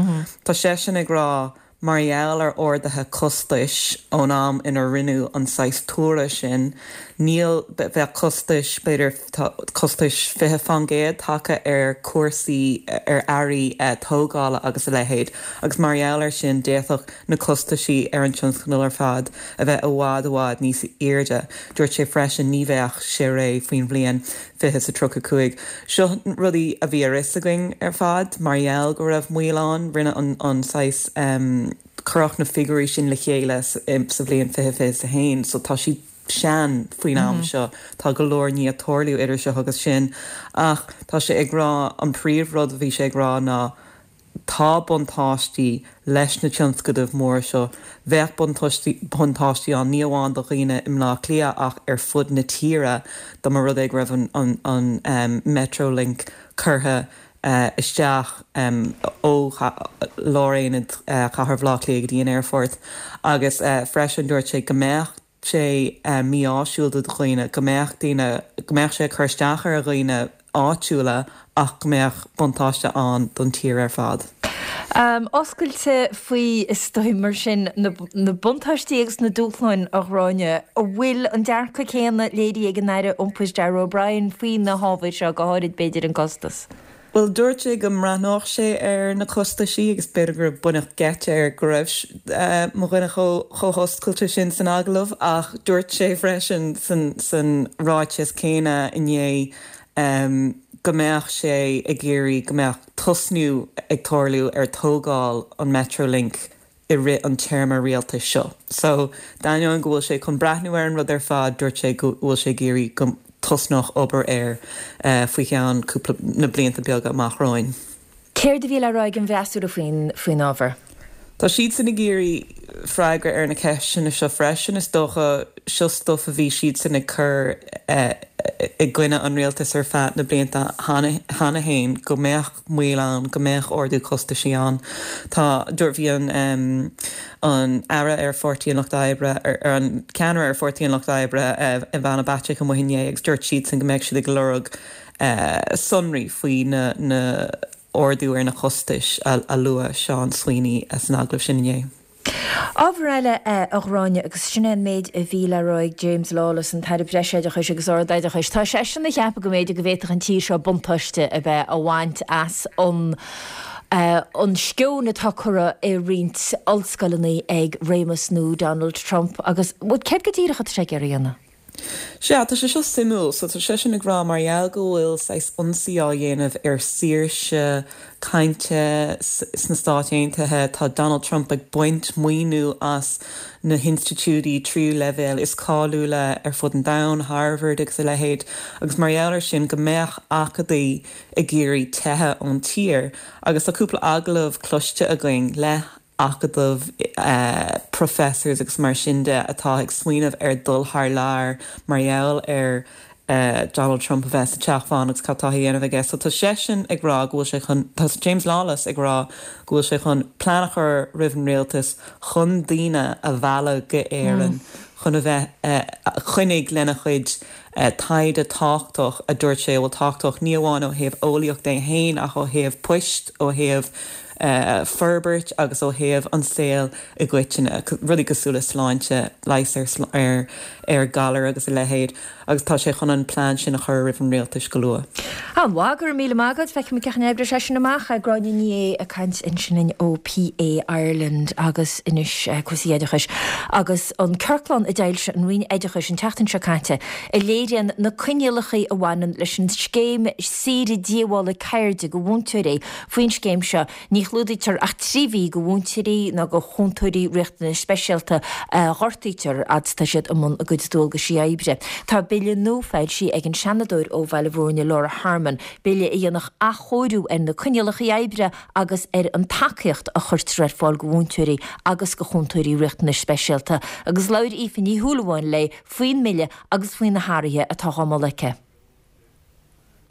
Tá seisean ag rá, mar gheall ar arduithe costais ón am inar rinneadh an saghas tuaradh sin, níl, bheadh costais, b'fhéidir, tá costais 20% tagtha ar chúrsaí, ar earraí tógála agus a leithéid, agus mar gheall air sin d'fhéadfadh na costaisí ar an tionscadal ar fad a bheith i bhfad, i bhfad níos airde. Dúirt sé freisin ní bheadh sé réidh faoin bhliain 20 sa 35. Seo rudaí a bhí ar fhios againn ar fad mar gheall go raibh moill ann. Rinne an an saghas cuireadh na figiúirí sin le chéile sa bhliain 2021 so tá siad sean faoin am seo. Tá go leor i ndiaidh tarlú idir seo agus sin ach tá sé ag rá an príomh rud a bhí sé ag rá ná Tá buntáistí leis na tionscadaimh mhóra seo. Bheadh buntáistí ann ní amháin do dhaoine i mBleá Cliath ach ar fud na tíre dá mba rud é go raibh an Metrolink curtha isteach ó láraonad chathair Bhaile Átha Cliath go dtí an aerfort agus freisin dúirt sé go mbeadh sé mí-áisiúil do dhaoine, go mbeadh daoine, go mbeadh sé ag cur isteach ar dhaoine áitiúla ach go mbeadh buntáiste ann don tír ar fad. Oscailte faoi, is dóigh, mar sin, na buntáistí agus na dúshláin, a Ghráinne. An bhfuil an dearcadh céanna léirithe ag an Aire Iompair Darragh O'Brien faoi na hábhair seo, go háirid, b'fhéidir, an costas? Bhuel, dúirt sé go mbreathnódh sé ar na costaisí agus b'fhéidir gur baineadh geit air go raibh mo dhuine chomh hoscailte sin san agallamh ach dúirt sé freisin san ráiteas céanna inné go mbeadh sé ag iarraidh go mbeadh tosnú ag tarlú ar tógáil an Metrolink i rith an téarma rialtais seo. So, d'ainneoin go bhfuil sé chun breathnú ar an rud ar fad, dúirt sé go bhfuil sé ag iarraidh go dtosnódh obair air faoi cheann cúpla, na blianta beaga amach romhainn. Céard a bhí le rá ag an bhfreasúra faoin, faoin ábhar? Tá siadsan ag iarraidh freagra ar na ceisteanna seo freisin, is dócha. Seo stuif a bhí siadsan ag cur i gcoinne an rialtais ar feadh na blianta cheana féin, go mbeadh moill ann, go mbeadh ardú costaisí ann. Tá, dúirt, bhí an an Aire ar Pháirtí an Lucht Oibre, ar an ceannaire ar Pháirtí an Lucht Oibre, Ivana Bacik amuigh inné agus dúirt siadsan go mbeadh siad ag lorg sonraí faoi na na ardú ar na costais a luaigh Seán Sweeney san agallamh sin inné. Ábhar eile, a Ghráinne, agus sin é an méid a bhí le rá ag James Lawless, an tAire Breisoideachais agus Ardoideachais, tá seisean ag ceapadh go mb'fhéidir go bhféadfadh an tír seo buntáiste a bheith á bhaint as an an sceon atá curtha i roinnt ollscoileanna ag réimeas nua Donald Trump agus, bhuel, céard go díreach atá sé ag iarraidh a dhéanamh? Sea, tá sé seo suimiúil. So tá seisean ag rá mar gheall go bhfuil saghas ionsaí á dhéanamh ar saoirse cainte sna Stáit Aontaithe, tá Donald Trump ag baint maoiniú as na hinstitiúidí tríú leibhéal is cáiliúla ar fud an domhain, Harvard agus a leithéid, agus mar gheall ar sin go mbeadh acadaí ag iarraidh teitheadh ón tír. Agus tá cúpla agallamh cloiste againn le acadaimh, professors agus mar sin de atá ag smaoineamh ar dul thar lear mar gheall ar Donald Trump a bheith sa Teach Bán agus cad tá á dhéanamh aige. So tá seisean ag rá go bhfuil sé chun, tá James Lawless ag rá go bhfuil sé chun plean a chur roimh an rialtas chun daoine a mhealladh go Éirinn chun a bheith, coinnigh lena chuid taighde tábhachtach a dúirt sé a bhfuil tábhachtach ní amháin ó thaobh eolaíocht é féin ach ó thaobh poist, ó thaobh forbairt agus ó thaobh an saol i gcoitinne, rudaí cosúil le sláinte, leigheas ar ar ghalair agus a leithéid agus tá sé chun an plean sin a chur roimh an rialtais go luath. An-mhaith, go raibh míle maith agat. Feicfimid cén chaoi a n-oibreoidh sé sin amach. Gráinne Ní Aodha ag caint ansin linn ó PA Ireland agus anois cúrsaí oideachais agus an ciorclán a d'fhoilsigh an Roinn Oideachais an tseachtain seo caite a léiríonn na coinníollacha a bhaineann leis an scéim saoire díobhála ceirde do mhúinteoirí. Faoin scéim seo, ní chlúdaítear ach 3 mhí do mhúinteoirí ná do chúntóirí riachtanais speisialta a ghortaítear fhad is atá siad i mbun a gcuid dualgaisí oibre. Tá bille nua foilsithe ag an Seanadóir ó Bhaile Bhúirne, Laura Harmon, bille a dhéanfadh athchóiriú ar na coinníollacha oibre agus ar an tacaíocht a chuirtear ar fáil do mhúinteoirí agus do chúntóirí riachtanais speisialta agus labhair Aoife Ní Shúilleabháin léi faoin mbille agus faoi na hathruithe atá á moladh aici.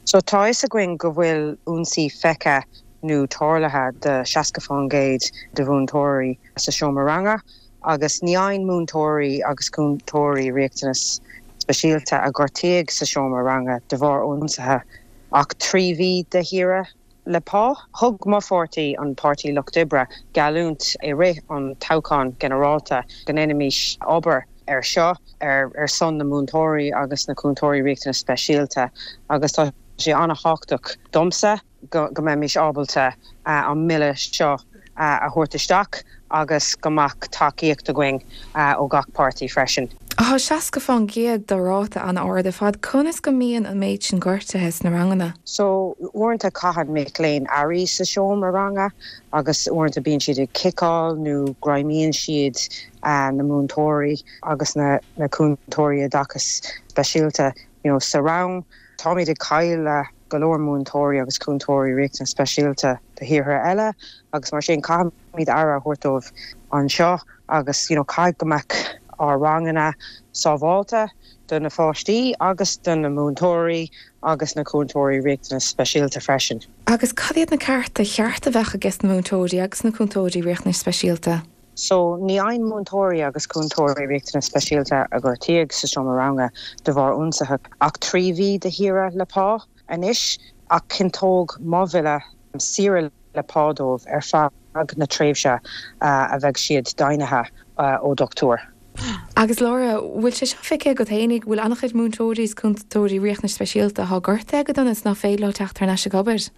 So tá a fhios againn go bhfuil ionsaí feicthe nó tarlaithe do 60% de mhúinteoirí sa seomra ranga agus ní fhaigheann múinteoirí agus cúntóirí riachtanas speisialta a gortaíodh sa seomra ranga de bharr ionsaithe ach 3 mhí de shaoire le pá. Thug mo pháirtí, an Páirtí Lucht Oibre, geallúint i rith an toghcháin ghinearálta go ndéanfaimis obair ar seo ar son na múinteoirí agus na cúntóirí riachtanas speisialta agus tá sé an-thábhachtach domsa go mbeimis ábalta an mbille seo a thabhairt isteach agus go mbeadh tacaíocht againn ó gach páirtí freisin. Tá 60% de ráta an-ard ar fad. Conas go mbíonn an méid sin gortuithe sna ranganna? So, uaireanta caitheann mic léinn earraí sa seomra ranga agus uaireanta bíonn siad ag ciceáil nó greimíonn siad na múinteoirí agus na cúntóirí oideachais speisialta you know sa rang. Táimid ag cailleadh go leor múinteoirí agus cúntóirí riachtanas speisialta do thíortha eile agus mar sin caithfimid aire a thabhairt dóibh anseo agus you know caithfidh go mbeadh ár ranganna sábháilte do na pháistí agus do na múinteoirí agus na cúntóirí riachtanas speisialta freisin. Agus cad iad na cearta cheart a bheadh ages na múinteoirí agus na cúntóirí riachtanais speisialta? So, ní fhaigheann múinteoirí agus cúntóirí riachtanas speisialta a gortaíodh sa seomra ranga de bharr ionsaithe ach 3 mhí de shaoire le pá anois, ach chinnteodh mo bhille saoire le pá dóibh ar feadh na tréimhse a bheidh siad deimhnithe ó dhochtúir. Agus Laura, bhfuil sé seo feicthe agat fhéinig, bhfuil an-chuid múinteoirí is cúntóirí riachtanais speisialta atá gortaithe go dona is ná féidir leo teacht thar n-ais ag obair?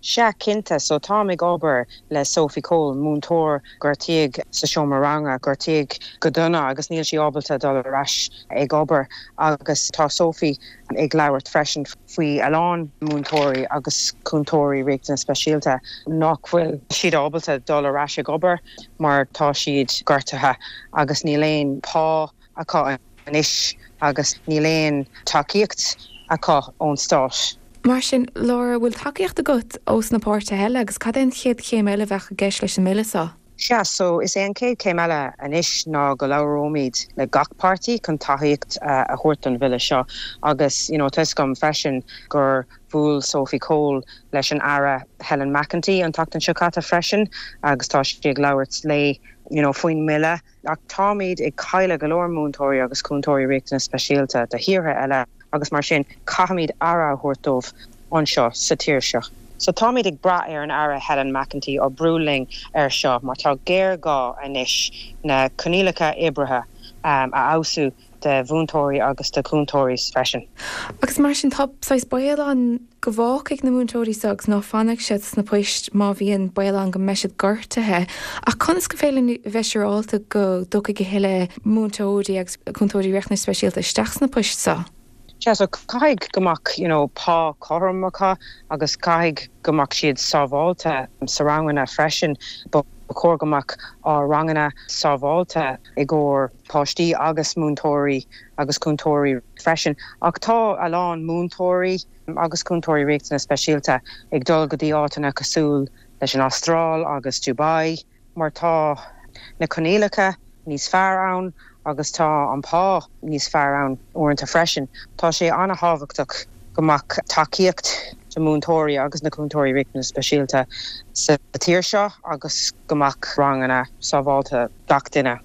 Sea, cinnte. So, táim ag obair le Sophie Cole, múinteoir gortaíodh sa seomra ranga, gortaíodh go dona agus níl sí ábalta dul ar ais ag obair agus tá Sophie ag labhairt freisin faoi a lán múinteoirí agus cúntóirí riachtanas speisialta nach bhfuil siad ábalta dul ar ais ag obair mar tá siad gortaithe agus níl aon pá acu anois agus níl aon tacaíocht acu ón stát. Mar sin, Laura, bhfuil tacaíocht agat ós na páirtithe eile agus cad é an chéad chéim eile a bheadh i gceist leis an mbille seo? Sea, so is é an chéad chéim eile anois ná go labhróimid le gach páirtí chun tacaíocht a thabhairt don bhille seo agus you know tá 'fhios agam freisin gur bhuail Sophie Cole leis an Aire Helen McEntee an tseachtain seo caite freisin agus tá sí ag labhairt léi you know faoin mbille. Ach táimid ag cailleadh go leor múinteoirí agus cúntóirí riachtanas speisialta do thíortha eile agus mar sin caithfimid aire a thabhairt dóibh anseo sa tír seo. So táimid ag brath ar an Aire Helen McEntee oibriú linn ar seo mar tá géarghá anois na coinníollacha oibrithe a fheabhsú do mhúinteoirí agus do chúntóirí freisin. Agus mar sin tá saghas baol ann go bhfágfaidh na múinteoirí seo agus ná fanfaidh siad sna poist má bhíonn baol ann go mbeidh siad gortaithe. Ach conas gur féidir linn a bheith siúráilte go dtiocfaidh a thuilleadh múinteoirí agus cúntóirí riachtanais speisialta isteach sna poist seo? Yeah so caithfidh go mbeadh you know pá cothrom acu agus caithfidh go mbeadh siad sábháilte sa ranganna freisin. Ba chóir go mbeadh ár ranganna sábháilte i gcomhair páistí agus múinteoirí agus cúntóirí freisin. Ach tá a lán múinteoirí agus cúntóirí riachtanas speisialta ag dul go dtí áiteanna cosúil leis an Astráil agus Dubai. mar tá na coinníollacha níos fearr ann agus tá an pá níos fearr ann uaireanta freisin. Tá sé an-thábhachtach go mbeadh tacaíocht do mhúinteoirí agus na cúntóirí riachtanas speisialta sa tír seo agus go mbeadh ranganna sábháilte gach duine.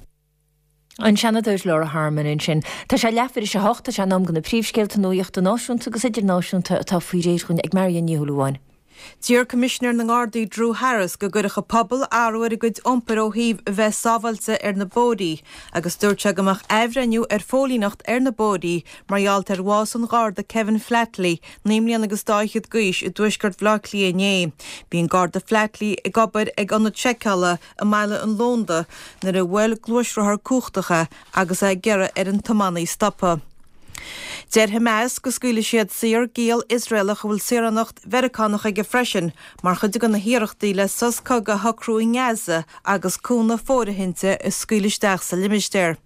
An Seanadóir Laura Harmon ansin. Tá sé leathuair tar éis a hocht, tá sé in am do na príomhscéalta nuachta náisiúnta agus idirnáisiúnta atá faoi réir dhúinn ag Marion Ní Shúilleabháin. D'iarr Coimisinéir na nGardaí Drew Harris go gcuirfeadh an pobal athrú ar a gcuid iompair ó thaobh a bheith sábháilte ar na bóithrí agus dúirt sé go mbeadh athbhreithniú ar phóilíneacht ar na bóithrí mar gheall ar bhás an Gharda Kevin Flatley, 19 mbliana agus dá fhichead d'aois, i dtuaisceart Bhaile Átha Cliath inné. Bhí an Garda Flatley ag obair ag ionad seiceála i mBaile an Lónda nuair a bhuail gluaisrothar cumhachtach é agus é ag iarraidh ar an tiománaí stopadh. Deir Hamas go scaoilfidh siad saor giall Iosraelach a bhfuil saoránacht Mheiriceánach aige freisin mar chuid de na hiarrachtaí le sos cogaidh a shocrú i nGaza agus cúnamh fóirithinte a scaoileadh isteach sa limistéar.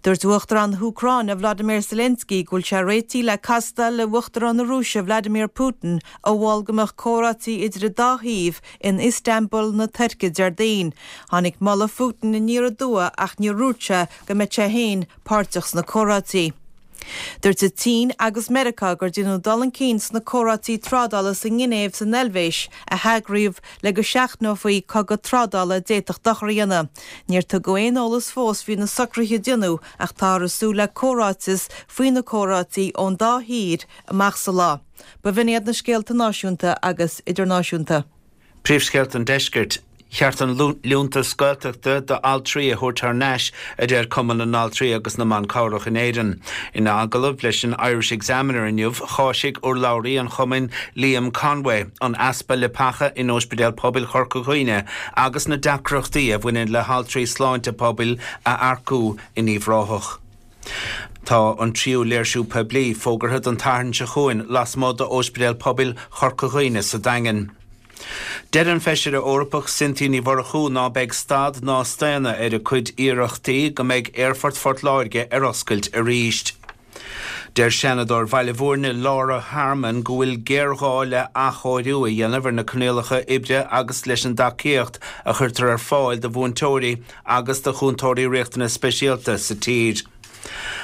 Dúirt Uachtarán na hÚcráine Vladimir Zelensky go bhfuil sé réitithe le castáil le Uachtarán na Rúise Vladimir Putin a mhol go mbeadh comhráití idir an dá thaobh in Istanbul na Tuirce Déardaoin. Tháinig moladh Phutin aniar aduaidh ach níor dhúirt sé go mbeadh sé féin páirteach sna comhráití. Dúirt an tSín agus Meiriceá gur déanadh dul chun cinn sna comhráití trádála sa nGinéiv san Eilvéis a heagraíodh le go seachnófaí cogadh trádála a d'fhéadfadh dochar a dhéanamh. Níor tugadh aon eolas fós faoi na socruithe a déanadh ach táthar ag súil le comhráiteas faoi na comhráití ón dá thír amach sa lá. B'in iad na scéalta náisiúnta agus idirnáisiúnta. Príomhscéalta an Deiscirt. Cheart an liúntas Gaeltachta d'altraí a thabhairt thar n-ais, a deir Cumann na nAltraí agus na mBan Cabhrach in Éirinn. Ina agallamh leis an Irish Examiner inniu, cháisigh urlabhraí an chumainn Liam Conway an easpa leapacha in Ospidéal Pobail Chorca Dhuibhne agus na deacrachtaí a bhaineann le haltraí sláinte pobail a earcú in Uíbh Ráthach. Tá an tríú léirsiú poiblí fógartha don tSatharn seo chugainn lasmuigh d'Ospidéal Pobail Chorca Dhuibhne sa Daingean. Deir an Feisire Eorpach Cynthia Ní Mhurchú ná beidh stad ná staonadh ar a cuid iarrachtaí go mbeidh Aerfort Phort Láirge ar oscailt arís. Deir Seanadóir Bhaile Bhúirne Laura Harmon go bhfuil géarghá le athchóiriú a dhéanamh ar na coinníollacha oibre agus leis an dtacaíocht a chuirtear ar fáil do mhúinteoirí agus do chúntóirí riachtanas speisialta sa tír.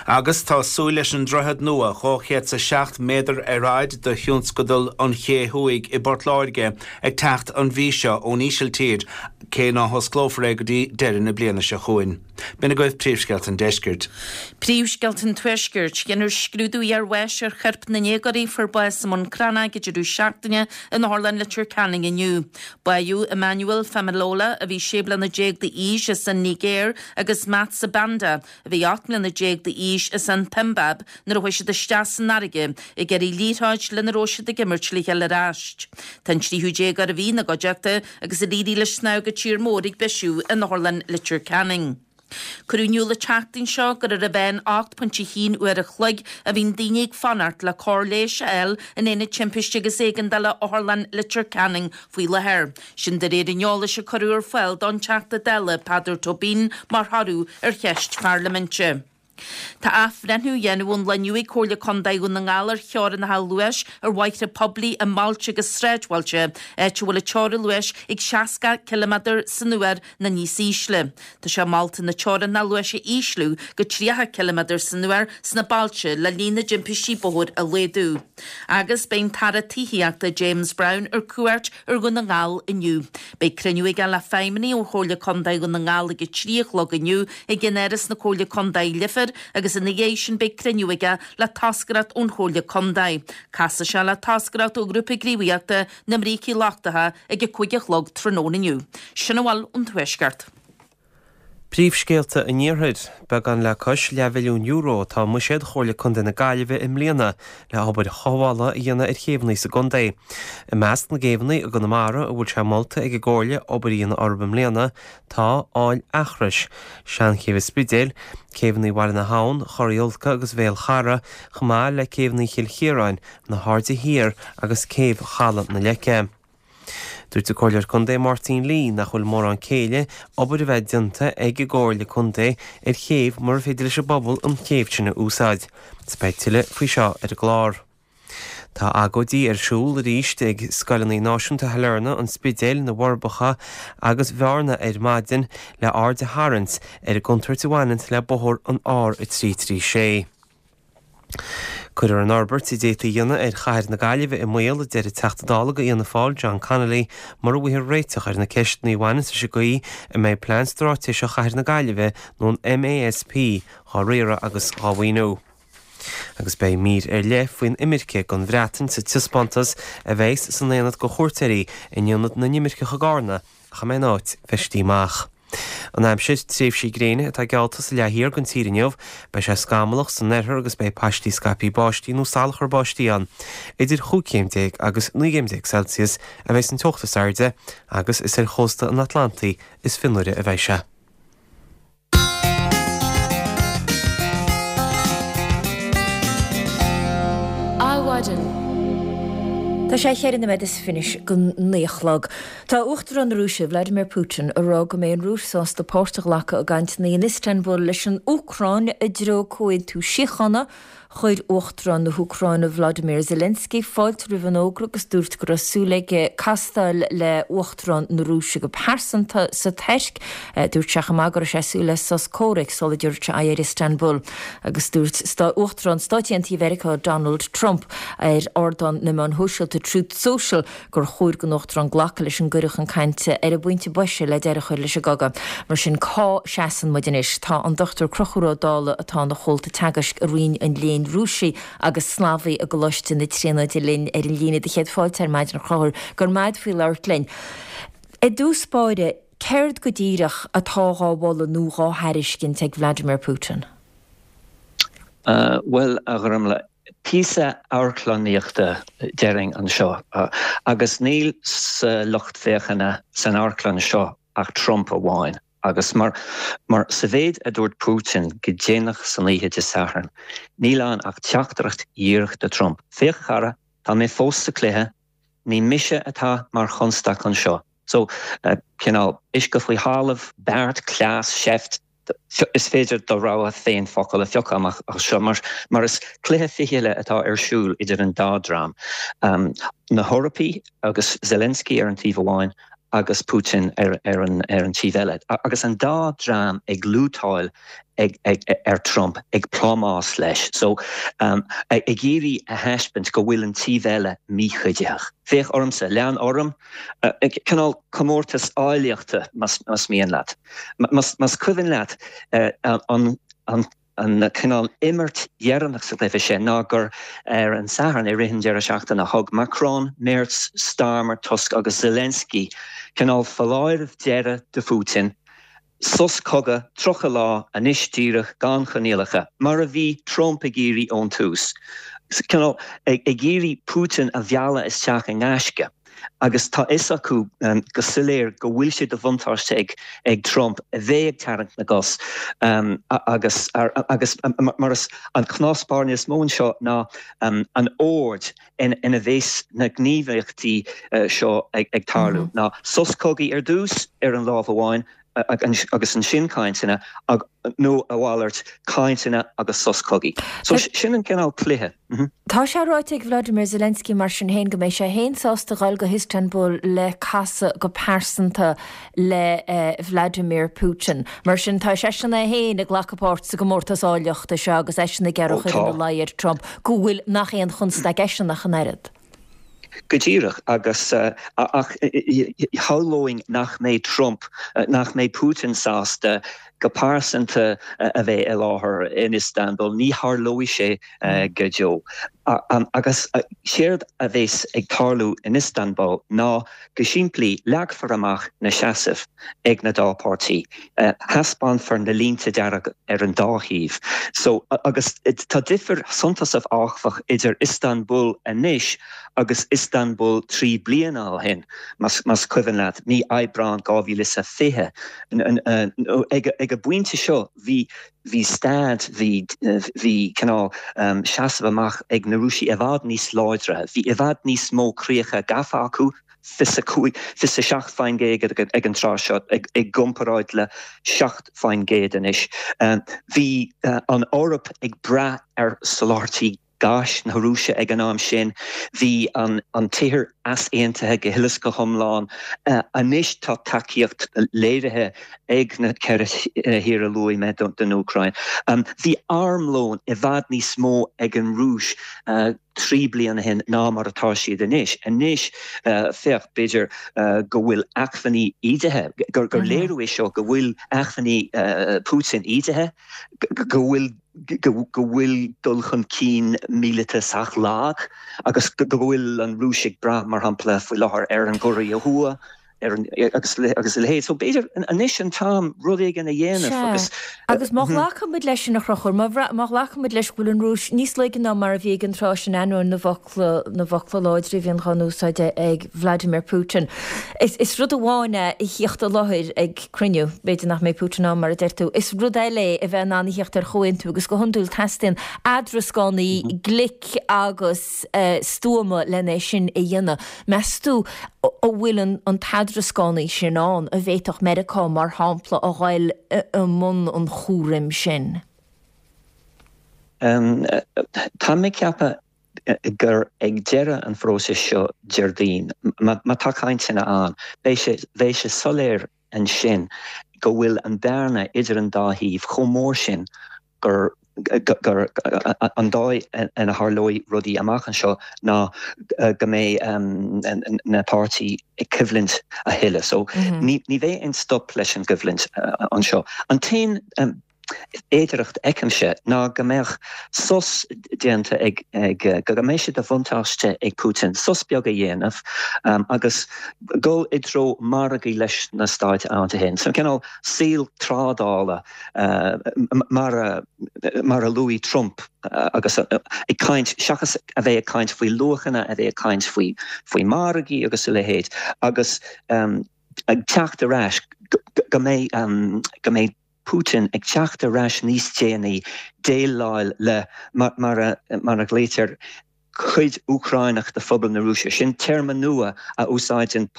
Agus tá súil leis an droichead nua 207 méadar ar fhaid do thionscadal an Ché Thuaidh i bPort Láirge ag teacht an mhí seo ón Ísiltír, cé ná hosclófar é go dtí deireadh na bliana seo chugainn. B'in agaibh príomhscéalta an deiscirt. Príomhscéalta an Tuaiscirt. Déanfar scrúdú iarbháis ar choirp na ndéagóirí a fuair bás i mBun Cranncha ag an deireadh seachtaine in Otharlann Leitir Ceanainn inniu. Báitheadh Emmanuel Femilola, a bhí 16 bliana d'aois, as an Nigéir, agus Matt Sibanda, a bhí 18 mbliana d'aois, as an tSiombáib, nuair a chuaigh siad isteach san fharraige ag iarraidh liathróid lena raibh siad ag imirt le chéile ar ais. Tá an tríú déagóir a bhí ina gcuideachta agus ar éirigh leis snámh go tír mór ag bisiú in Otharlann Leitir Ceanainn. Cuireadh in iúl an tseachtain seo gur ar a mheán 8.1 uair a chloig a bhíonn daoine ag fanacht le cóir leighis a fháil in Aonad Timpiste agus Éigeandála Otharlann Leitir Ceanainn faoi láthair. Sin de réir an eolais a cuireadh ar fáil don Teachta Dála Peadar Tóibín mar thoradh ar cheist pharlaiminte. Tá athbhreithniú á dhéanamh ón lá inniu ag Comhairle Contae Dhún na nGall ar theorainneacha luais ar bhóithre poiblí i mbailte agus sráidbhailte, áit a bhfuil an teorainn luais ag 60 ciliméadar san uair nó níos ísle. Tá sé molta na teorainneacha luais a ísliú go 30 ciliméadar san uair sna bailte le líon na dtimpistí bóthair a laghdú. Agus beidh an tAire Tithíochta James Browne ar cuairt ar Dhún na nGall inniu. Beidh cruinniú aige le feidhmeannaigh ó Chomhairle Contae Dhún na nGall ag a 3 a chlog inniu i gceannáras na Comhairle Contae Leifear. láthair agus ina dhiaidh sin beidh cruinniú aige le toscaireacht ón Chomhairle Contae. Casfaidh sé le toscaireacht ó Ghrúpa Gníomhaíochta na mBrící Lochtacha ag a 5 a chlog tráthnóna inniu. Sin a bhfuil ón Tuaisceart. Príomhscéalta an Iarthair. Beagán le cois leathmhilliún euro atá i mbuiséad Chomhairle Contae na Gaillimhe i mbliana le hobair chothabhála a dhéanamh ar chéibheanna sa gcontae. I measc na gcéibheanna i gConamara a bhfuil sé molta ag an gComhairle obair a dhéanamh orthu i mbliana tá Aill Eachrois, Seanchéibh an Spidéil, céibheanna Bhaile na hAbhann, Chorr Iolca agus Bhéal Chara, chomh maith le céibheanna Chill Chiaráin, na hAirde Thiar agus céibh Chaladh na Leice. Dúirt an Comhairleoir Contae Máirtín Lee nach bhfuil mórán céille obair a bheith déanta ag an gComhairle Contae ar chéibh mura féidir leis an bpobal an chéibh sin a úsáid. Is beidh tuilleadh faoi seo ar an gclár. Tá agóidí ar siúl arís ag scoileanna náisiúnta Shailearna, an Spidéil, na bhForbacha agus Bhearna ar maidin le aird a tharraingt ar an gcontúirt a bhaineann le bóthar an R336. Cuirfear an fhorbairt a d'fhéadfaí a dhéanamh ar chathair na Gaillimhe i mbaol, a deir an Teachta Dála do Fhianna Fáil, John Connolly, mura bhfaighfear réiteach ar na ceisteanna a bhaineanns leis an gcaoi a mbeidh Plean Straitéiseach Chathair na Gaillimhe nó an MASP dhá riaradh agus dhá mhaoiniú. Agus beidh mír ar leith faoin imirce don Bhreatain sa taispeántas a bheas san aonad do chuairteoirí in Ionad na nImirceach i gCarna ach a mbeidh an áit feistithe amach. An aimsir, tréimhsí gréine atá geallta sa leath thiar den tír inniu. Beidh sé scamallach san oirthear agus beidh paistí scaipthe báistí nó salachar báistí ann. Idir chúig chéim déag agus 19 gcéim Celsius a bheidh an teocht is airde agus is ar chósta an Atlantaigh is fionnuaire a bheidh sé. Adhmhaidin. Tá sé cheithre noiméad is fiche go naoi a chlog. Tá Uachtarán na Rúise, Vladimir Putin, ag rá go mbeidh an Rúis sásta páirt a ghlacadh i gcainteanna in Istanbul leis an Úcráin i dtreo comhaontú síochána. Chuir Uachtarán na hÚcráine Volodymyr Zelensky fáilte roimh an fhógra agus dúirt go raibh súil aige castáil le Uachtarán na Rúise go pearsanta sa Tuirc. Dúirt sé chomh maith go raibh sé ag súil le sos comhraic sula dtabharfaidh sé aghaidh ar Istanbul. Agus dúirt Uachtarán Stáit Aontaithe Mheiriceá Donald Trump ar ardán na meán shóisialta Truth Social gur chóir don Uachtarán glacadh leis an gcuireadh chun cainte ar an bpointe boise le deireadh a chur leis an gcogadh. Mar sin, cá seasann muid anois? Tá an Dr Conchúr Ó Dálaigh, atá ina chomhalta teagaisc i Roinn an Léinn Rúisigh agus Slavaigh i gColáiste na Tríonóide linn ar an líne. Do chéad fáilte ar maidin a Chonchúir. Go raibh maith agat faoi labhairt linn. I dtús báire, céard go díreach atá dhá mholadh nó dhá thairiscint ag Vladimir Putin? Bhuel, a Ghormlaith, Píosa amharclannaíochta déarfainn anseo agus níl sa lucht féachana san amharclann seo ach Trump amháin agus mar mar sa mhéid a dúirt Putin go déanach san oíche Dé Sathairn níl ann ach teachtaireacht dhíreach do Trump, féach a chara, tá mé fós sa cluiche, ní mise atá mar chonstaic anseo. So, cineál uisce faoi thalamh, beart, cleas, seift, Is féidir do rogha féin focal a phiocadh amach as seo mar is cluiche fichille atá ar siúl idir an dá dream, na hEorpaigh agus Zelensky ar an taobh amháin agus Putin ar an taobh eile. Agus an dá dream ag lútáil ar Trump, ag plámás leis. So, ag iarraidh a thaispeaint go bhfuil an taobh eile míchuiditheach. Féach ormsa, lean orm. Cineál comórtas áilleachta, más mian leat. Más cuimhin leat an cineál imirt dheireanach sa gcluiche sin ná gur ar an Satharn i rith an deireadh seachtaine thug Macron, Merz, Starmer, Tusk agus Zelensky cineál foláireamh deiridh do Phutin, sos cogaidh 30 lá anois díreach gan choinníollacha, mar a bhí Trump ag iarraidh ón tús. Cineál ag iarraidh Putin a mhealladh isteach i ngaisce agus tá fhios acu go soiléir go bhfuil sé de bhuntáiste ag Trump a bheith ag tarraingt na gcos agus agus mar is an cnó spairne is mó anseo ná an ord ina bheas na gníomhaíochtaí seo ag tarlú ná sos cogaidh ar dtús ar an lámh amháin agus ansin cainteanna nó a mhalairt, cainteanna agus sos cogaidh. So sin an cineál cluiche. Tá sé ráite ag Vladimir Zelensky mar sin féin go mbeidh sé féin sásta dhul go hIstanbul le casadh go pearsanta le Vladimir Putin. Mar sin tá seisean é féin ag glacadh páirt sa gcomórtas áilleachta seo agus eisean ag iarraidh a chur ina luí ar Trump go bhfuil nach aon chonstaic eisean ach an oiread. Go díreach, agus ach shamhlóinn nach mbeidh Trump, nach mbeidh Putin sásta. go pearsanta a bheith i láthair in Istanbul, ní tharlóidh sé go deo. Agus séard a bheas ag tarlú in Istanbul ná go simplí leagfar amach na seasaimh ag na dá páirtí, thaispeánfar na línte dearga ar an dá thaobh. So, agus tá difir suntasach áfach idir Istanbul anois agus Istanbul 3 bliana ó shin, más cuimhin leat, mí Aibreán 2020. Ag an bpointe seo bhí bhí stad, bhí bhí cineál seasamh amach ag na Rúisigh i bhfad níos láidre, bhí i bhfad níos mó críocha gafa acu, 25, 27% ag an tráth seo i gcomparáid le 7% anois. Bhí an Eoraip ag brath ar soláthairtí gáis na Rúise ag an am sin. Bhí an tír easaontaithe go huile is go hiomlán. Anois tá tacaíocht léirithe ag na ceithre thír a luaigh mé don Úcráin. Bhí armlón i bhfad níos mó ag an Rúis 3 bliana ó shin ná mar atá siad anois. Anois, féach, b'fhéidir go bhfuil acmhainní ídithe, gur léiriú é seo go bhfuil acmhainní Putin ídithe, go bhfuil go bhfuil dul chun cinn míleata sách lag agus go bhfuil an Rúis ag brath, mar shampla, faoi láthair ar an gCóiré Thuaidh ar an, agus agus a leithéid. So b'fhéidir anois an t-am rud éigin a dhéanamh Sea. agus. Agus má ghlacann muid leis sin, a Chonchúir, má má ghlacann muid leis go bhfuil an Rúis níos laige ná mar a bhí ag an tráth sin, ainneoin na bhfocla, na bhfocla láidre a bhíonn dhá n-úsáid ag Vladimir Putin, is, is rud amháin é a thíocht i láthair ag, cruinniú. B'fhéidir nach mbeidh Putin ann, mar a deir tú. Is rud eile é a bheith in ann a thíocht ar chomhaontú agus go hiondúil teastaíonn eadrascánaí glic agus stuama len é sin a dhéanamh. Meas tú an bhfuil an t-eadrascánaí sin ann, an bhféadfadh Meiriceá, mar shampla, a ghoil i mbun an chúraim sin? Tá mé ag ceapadh gur ag deireadh an phróisis seo Déardaoin, má tá cainteanna ann, beidh sé, bheidh sé soiléir ansin go bhfuil an bearna idir an dá thaobh chomh mór sin gur, gur an dóigh ina tharlóidh rudaí amach anseo ná go mbeidh na páirtí ag coimhlint a thuilleadh. So ní, ní bheidh aon stop leis an gcoimhlint anseo. An t-aon fhéidearthacht a fheicimse ná go mbeadh sos déanta ag, go mbeidh sé de bhuntáiste ag Putin sos beag a dhéanamh agus dul i dtreo margaidh leis na Stáit Aontaithe. So cineál saol trádála mar a, mar a luaigh Trump agus ag caint, seachas a bheith ag caint faoi luachanna, a bheith ag caint faoi, faoi mhargaí agus a leithéid agus ag teacht ar ais go mbeidh, go mbeidh Putin ag teacht ar ais níos déanaí déileáil le, mar a ghlaoitear, cuid Úcránach de phobal na Rúise. Sin téarma nua a úsáideann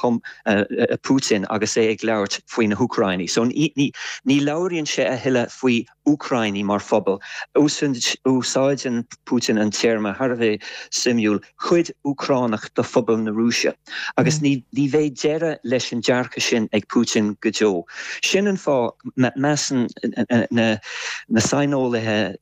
Putin agus é ag labhairt faoi na hÚcránaigh. So ní labhraíonn sé a thuilleadh faoi Úcránaigh mar phobal. Úsáideann Putin an téarma thar a bheith suimiúil, cuid Úcránach de phobal na Rúise. Agus ní bheidh deireadh leis an dearcadh sin ag Putin go deo. Sin an fáth, measann na saineolaithe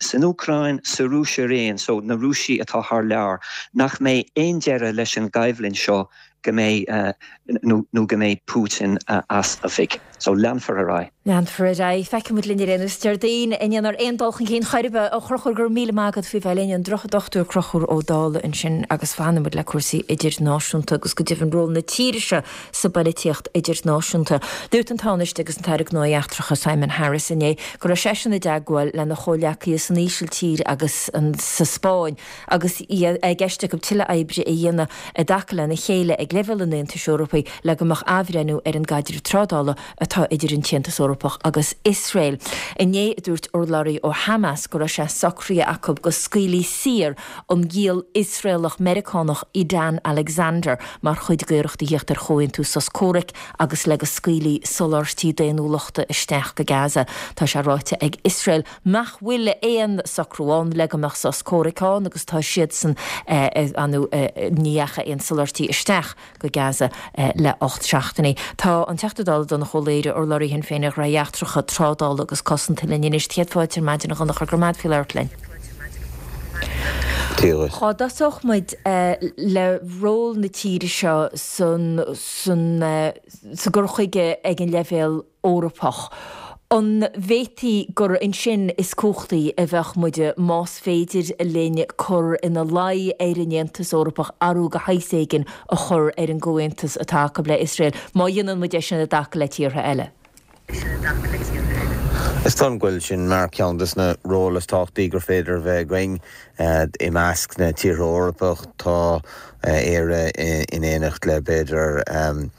san Úcráin, sa Rúis araon, so na Rúisigh atá thar lear, nach mbeidh aon deireadh leis an gcoimhlint seo go mbeidh nó go mbeidh Putin as oifig. So leanfar ar aghaidh. Leanfar ar aghaidh. Feicfidh muid linn ar aon nós Déardaoin an ndéanfar aon dul chun cinn chor ar bith. A Chonchúir, go raibh míle maith agat faoi bheith linn. An Dochtúir Conchúr Ó Dálaigh ansin agus fanfaidh muid le cúrsaí idirnáisiúnta agus go deimhin ról na tíre seo sa bpoilitíocht idirnáisiúnta. Dúirt an Tánaiste agus an tAire Gnóthaí Eachtracha Simon Harris inné go raibh seisean i dteagmháil lena chomhghleacaithe san Ísiltír agus sa Spáinn agus é i gceist acu tuilleadh oibre a dhéanamh i dtaca lena chéile ag leibhéal an Aontais Eorpaigh le go mbeadh athbhreithniú ar an gcaidreamh trádála atá idir an tAontas Eorpach agus Iosrael. Inné, dúirt urlabhraí ó Hamas go raibh sé socraithe acu go scaoilfí saor an giall Iosraelach-Meiriceánach Edan Alexander mar chuid d'iarracht a thíocht ar chomhaontú sos comhraic agus le go scaoilfí soláthairtí daonnúlachta isteach go Gaza. Tá sé ráite ag Iosrael nach bhfuil aon socrú ann le go mbeadh sos comhraic ann agus tá siadsan ní dheachaigh aon soláthairtí isteach go Gaza le 8 seachtainí. Tá an Teachta Dála Donnchadh Ó Laoghaire, urlabhraí Shinn Féin ar Ghnóthaí Eachtracha, Trádála agus Cosanta linn anois. Céad fáilte ar maidin a Dhonncha, go raibh maith agat faoi labhairt linn. Dia dhuit. Cá dtosódh muid le ról na tíre seo san san sa gcur chuige ag an leibhéal Eorpach? An bhféadfaí gur ansin is cumhachtaí a bheadh muid más féidir linn cur ina luí ar an Aontas Eorpach athrú de shaghas éigin a chur ar an gcomhaontas atá acu le Iosrael, má dhéanann muid é sin i dtaca le tíortha eile? Is dóigh liom go bhfuil sin mar cheann de na róil is tábhachtaí gur féidir a bheith againn. I measc na tíortha Eorpach tá Éire in éineacht le b'fhéidir an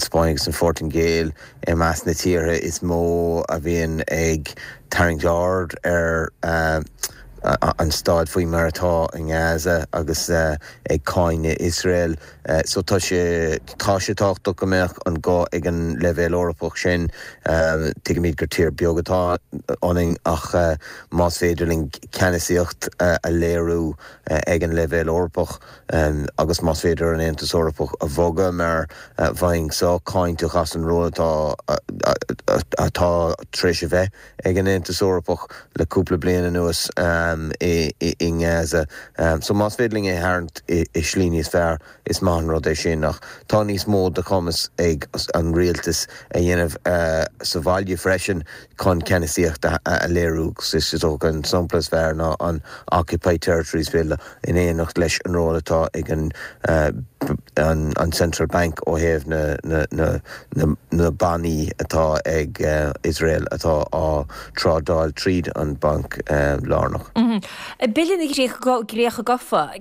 Spáinn agus an Phortaingéil i measc na tíortha is mó a bhíonn ag tarraingt aird ar an staid faoi mar atá i nGaza agus ag cáineadh Iosrael. So tá sé, tá sé tábhachtach go mbeadh an guth ag an leibhéal Eorpach sin. Tuigimid gur tír beag atá ionainn ach más féidir linn ceannasaíocht a léiriú ag an leibhéal Eorpach agus más féidir an Aontas Eorpach a bhogadh mar bheinn sách cáinteach as an ról atá atá tar éis a bheith ag an Aontas Eorpach le cúpla bliain anuas i nGaza. So más féidir linn é a tharraingt i slí níos fearr, is maith an rud é sin. Ach tá níos mó de chumas ag an rialtas a dhéanamh sa bhaile freisin chun ceannasaíocht a léiriú agus is dócha an sampla is fearr ná an Occupied Territories Bill in éineacht leis an ról atá ag an an Central Bank ó thaobh na bannaí atá ag Iosrael atá á trádáil tríd an Banc Lárnach. Bille na gCríocha Gafa,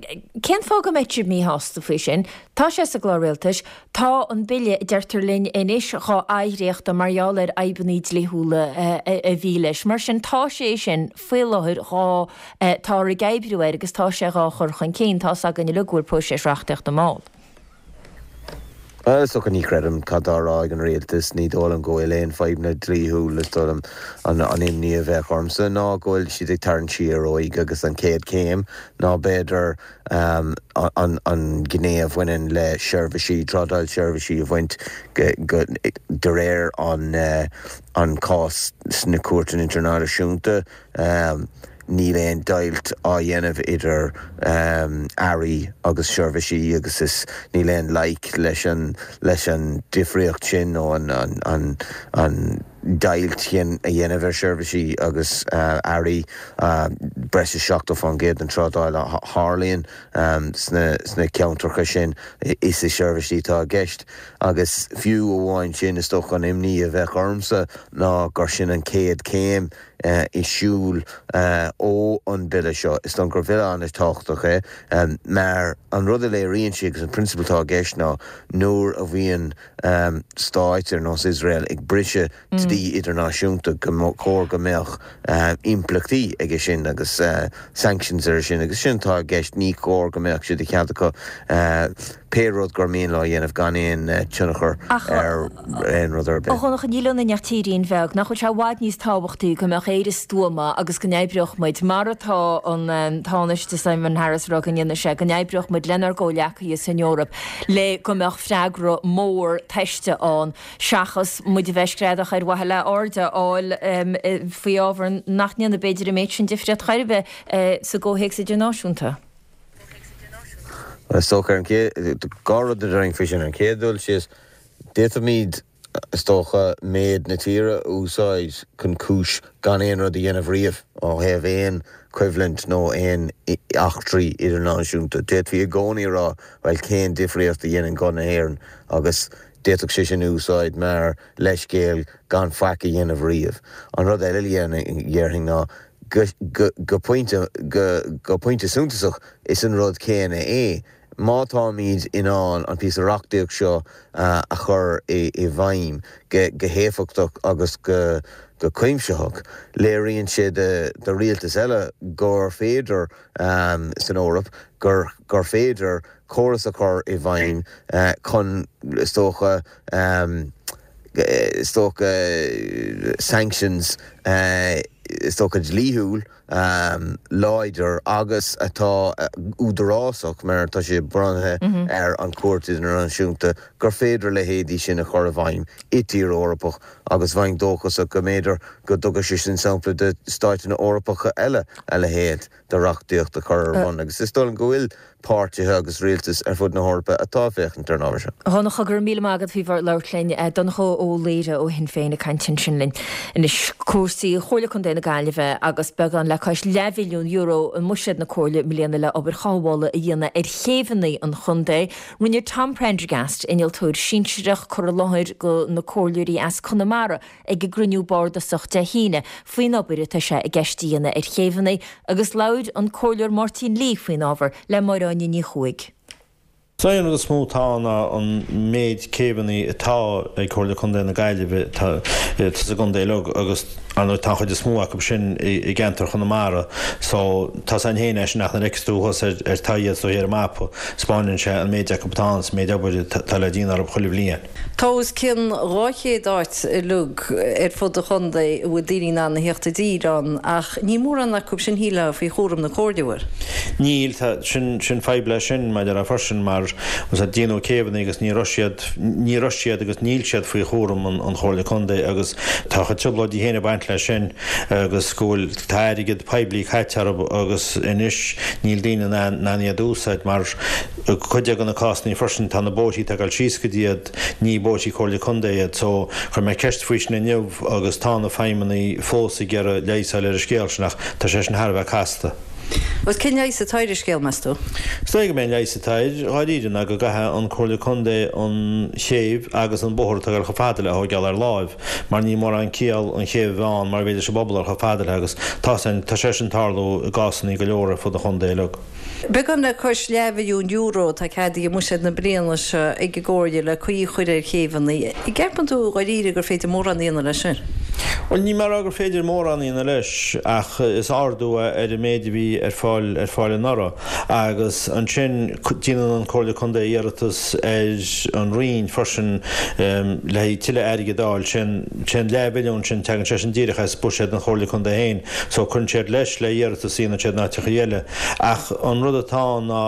cén fáth go mbeadh sibh míshásta faoi sin? Tá sé sa gclár rialtais. Tá an bille, a deirtear linn anois, dhá athdhréachtadh mar gheall ar fhadhbanna dlíthiúla a bhí leis. Mar sin, tá sé sin faoi láthair dhá, táthar ag oibriú air agus tá sé dhá chur chun cinn. Tá's againn uilig go bhfuil próiseas reachtaíochta mall. Bhuel, is dócha, ní chreidim cad tá á rá ag an rialtas. Ní dóigh liom go bhfuil aon fadhbanna dlíthiúil. Is dóigh liom an imní a bheadh ormsa ná go bhfuil siad ag tarraingt siar uaidh agus an chéad chéim ná b'fhéidir an ghné a bhaineann le seirbhísí, trádáil seirbhísí a bhaint de réir an cás sna cúirteanna idirnáisiúnta. Níl aon deighilt á dhéanamh idir earraí agus seirbhísí agus is níl aon loighic leis an leis an difríocht sin nó an an an deighilt sin a dhéanamh ar sheirbhísí agus earraí. Breis is 70% den trádáil a tharlaíonn sna sna ceantracha sin is i seirbhísí atá i gceist agus fiú amháin sin is dócha an imní a bheadh ormsa ná gur sin an chéad chéim i siúl ó an bhille seo. Is dóigh liom gur bhille an-tábhachtach é mar an rud a léiríonn sé agus an prionsabal atá i gceist ná nuair a bhíonn stáit ar nós Iosrael ag briseadh dlí idirnáisiúnta go chóir go mbeadh impleachtaí aige sin agus sanctions air sin agus sin atá i gceist. Ní chóir go mbeadh sé de chead acu pé rud gur mian leo a dhéanamh gan aon tionchar ar aon rud ar bith. A Dhonncha, níl ionainn ach tírín bheag. Nach bhfuil sé i bhfad níos tábhachtaí go mbeadh Éire stuama agus go n-oibreodh muid, mar atá an Tánaiste Simon Harris ag rá go ndéanfaidh sé, go n-oibreodh muid lenár gcomhghleacaithe san Eoraip le go mbeadh freagra mór tomhaiste ann seachas muid a bheith ag screadach ar mhaithe le aird a fháil faoi ábhar nach ndéanfaidh b'fhéidir an méid sin difríocht chor ar bith sa gcomhthéacs idirnáisiúnta. Is dócha ar an gcéad, dhá rud a déarfainn faoi sin. Ar an chéad dul síos, d'fhéadfaimid, is dócha, méid na tíre a úsáid chun cúis gan aon rud a dhéanamh riamh ó thaobh aon choimhlint nó aon eachtraí idirnáisiúnta. D'fhéadfaí i gcónaí a rá, bhuel, cén difríocht a dhéanann guth na hÉireann agus d'fhéadfadh sé sin a úsáid mar leithscéal gan faic a dhéanamh riamh. An rud eile a dhéarfainn ná go pointe, go pointe suntasach, is an rud céanna é. Má táimid in ann an píosa reachtaíocht seo a chur i bhfeidhm go héifeachtach agus go cuimsitheach, léiríonn sé do rialtais eile gur féidir san Eoraip, gur féidir córas a chur i bhfeidhm chun, is dócha, is dócha, sanctions, is dócha, dlíthiúil láidir agus atá údarásach, mar tá sé bunaithe ar an Chúirt Idirnáisiúnta, gur féidir a leithéidí sin a chur i bhfeidhm i dtír Eorpach agus bheinn dóchasach go mb'fhéidir go dtugfaidh sé sin sampla do stáiteanna Eorpacha eile a leithéid de reachtaíocht a chur ar bun agus is dóigh liom go bhfuil. Páirtithe agus rialtais ar fud na hEorpa atá ag féachaint ar an ábhar seo. A Dhonncha, go raibh míle maith agat faoi bheith ag labhairt linn. Donncha Ó Laoire ó Shinn Féin ag caint ansin linn. Anois, cúrsaí Chomhairle Contae na Gaillimhe agus beagán le cois leathmhilliún euro i mbuiséad na Comhairle i mbliana le obair chothabhála a dhéanamh ar chéibheanna an chontae. Rinne Tom Prendergast, innealtóir sinsearach, cur i láthair do na comhairleoirí as Conamara ag a gcruinniú bardasach Dé hAoine faoin obair atá sé i gceist a dhéanamh ar chéibheanna agus labhair an Comhairleoir Máirtín Lee faoin ábhar le Máire Áine Ní Chuaig. Is é an rud is mó atá ann ná an méid céibheanna atá ag Comhairle Contae na Gaillimhe tá sa gcontae uilig agus ar ndóigh tá an chuid is mó acu sin i gceantar Chonamara so tá 's againn féin é sin ach nuair a fheiceas tú thuas ar ar tá iad ar an mapa 'spáineann sé an méid acu atá ann is an méid obair atá le déanamh orthu chuile bhliain. Tá os cionn 200 áit uilig ar fud an chontae a bhfuil daoine in ann a theacht i dtír ann ach níl mórán acu sin, shílfeá, faoi chúram na Comhairle, an bhfuil? Níl, tá, sin, sin fadhb leis sin, mar a déarfá freisin, mar, bhfuil 's a'd, déanadh céibheanna agus ní raibh siad, ní raibh siad agus níl siad faoi chúram an, an Chomhairle Contae agus tá a chuid trioblóidí féin ag baint leis sin agus go bhfuil, tá airgead poiblí caite orthu agus anois níl daoine in ann, in ann iad a úsáid mar, I gcuid de na cásanna freisin tá na bóithrí atá ag dul síos go dtí iad, ní bóithrí Comhairle Contae iad so chuir mé ceist faoi sin inniu agus tá na feidhmeannaigh fós ag iarraidh leigheas a fháil ar an scéal sin ach tá sé sin thar a bheith casta. Agus cén leigheas atá ar an scéal, meas tú? Is dóigh go mb'é an leigheas atá air, dháiríre, ná go gcaithfidh an Comhairle Contae an chéibh agus an bóthar atá ag dul chomh fada léi a thóigeáil ar láimh mar níl mórán ciall an chéibh a bheith ann mara bhféidir leis an bpobal a dhul chomh fada léi agus tá tá sé sin ag tarlú i gcásanna go leor ar fud an chontae uilig. Beagán le cois leathmhilliún euro atá ceadaithe i mbuiséad na bliana seo ag an gComhairle le caoi a chur ar chéibheanna. An gceapann tú dháiríre gur féidir mórán a dhéanamh leis sin? Bhuel, níl mé ag rá gur féidir mórán a dhéanamh leis ach is ardú é ar an méid a bhí ar fáil ar fáil anuraidh agus ansin déanann an Comhairle Contae iarratas ar an Roinn freisin le haghaidh tuilleadh airgid a fháil. Sé an leathmhilliún sin, tagann sé sin díreach as buiséad an Chomhairle Contae féin so cuireann siad leis le hiarratas a dhéanann siad in áiteachaí eile. Ach an rud atá ann ná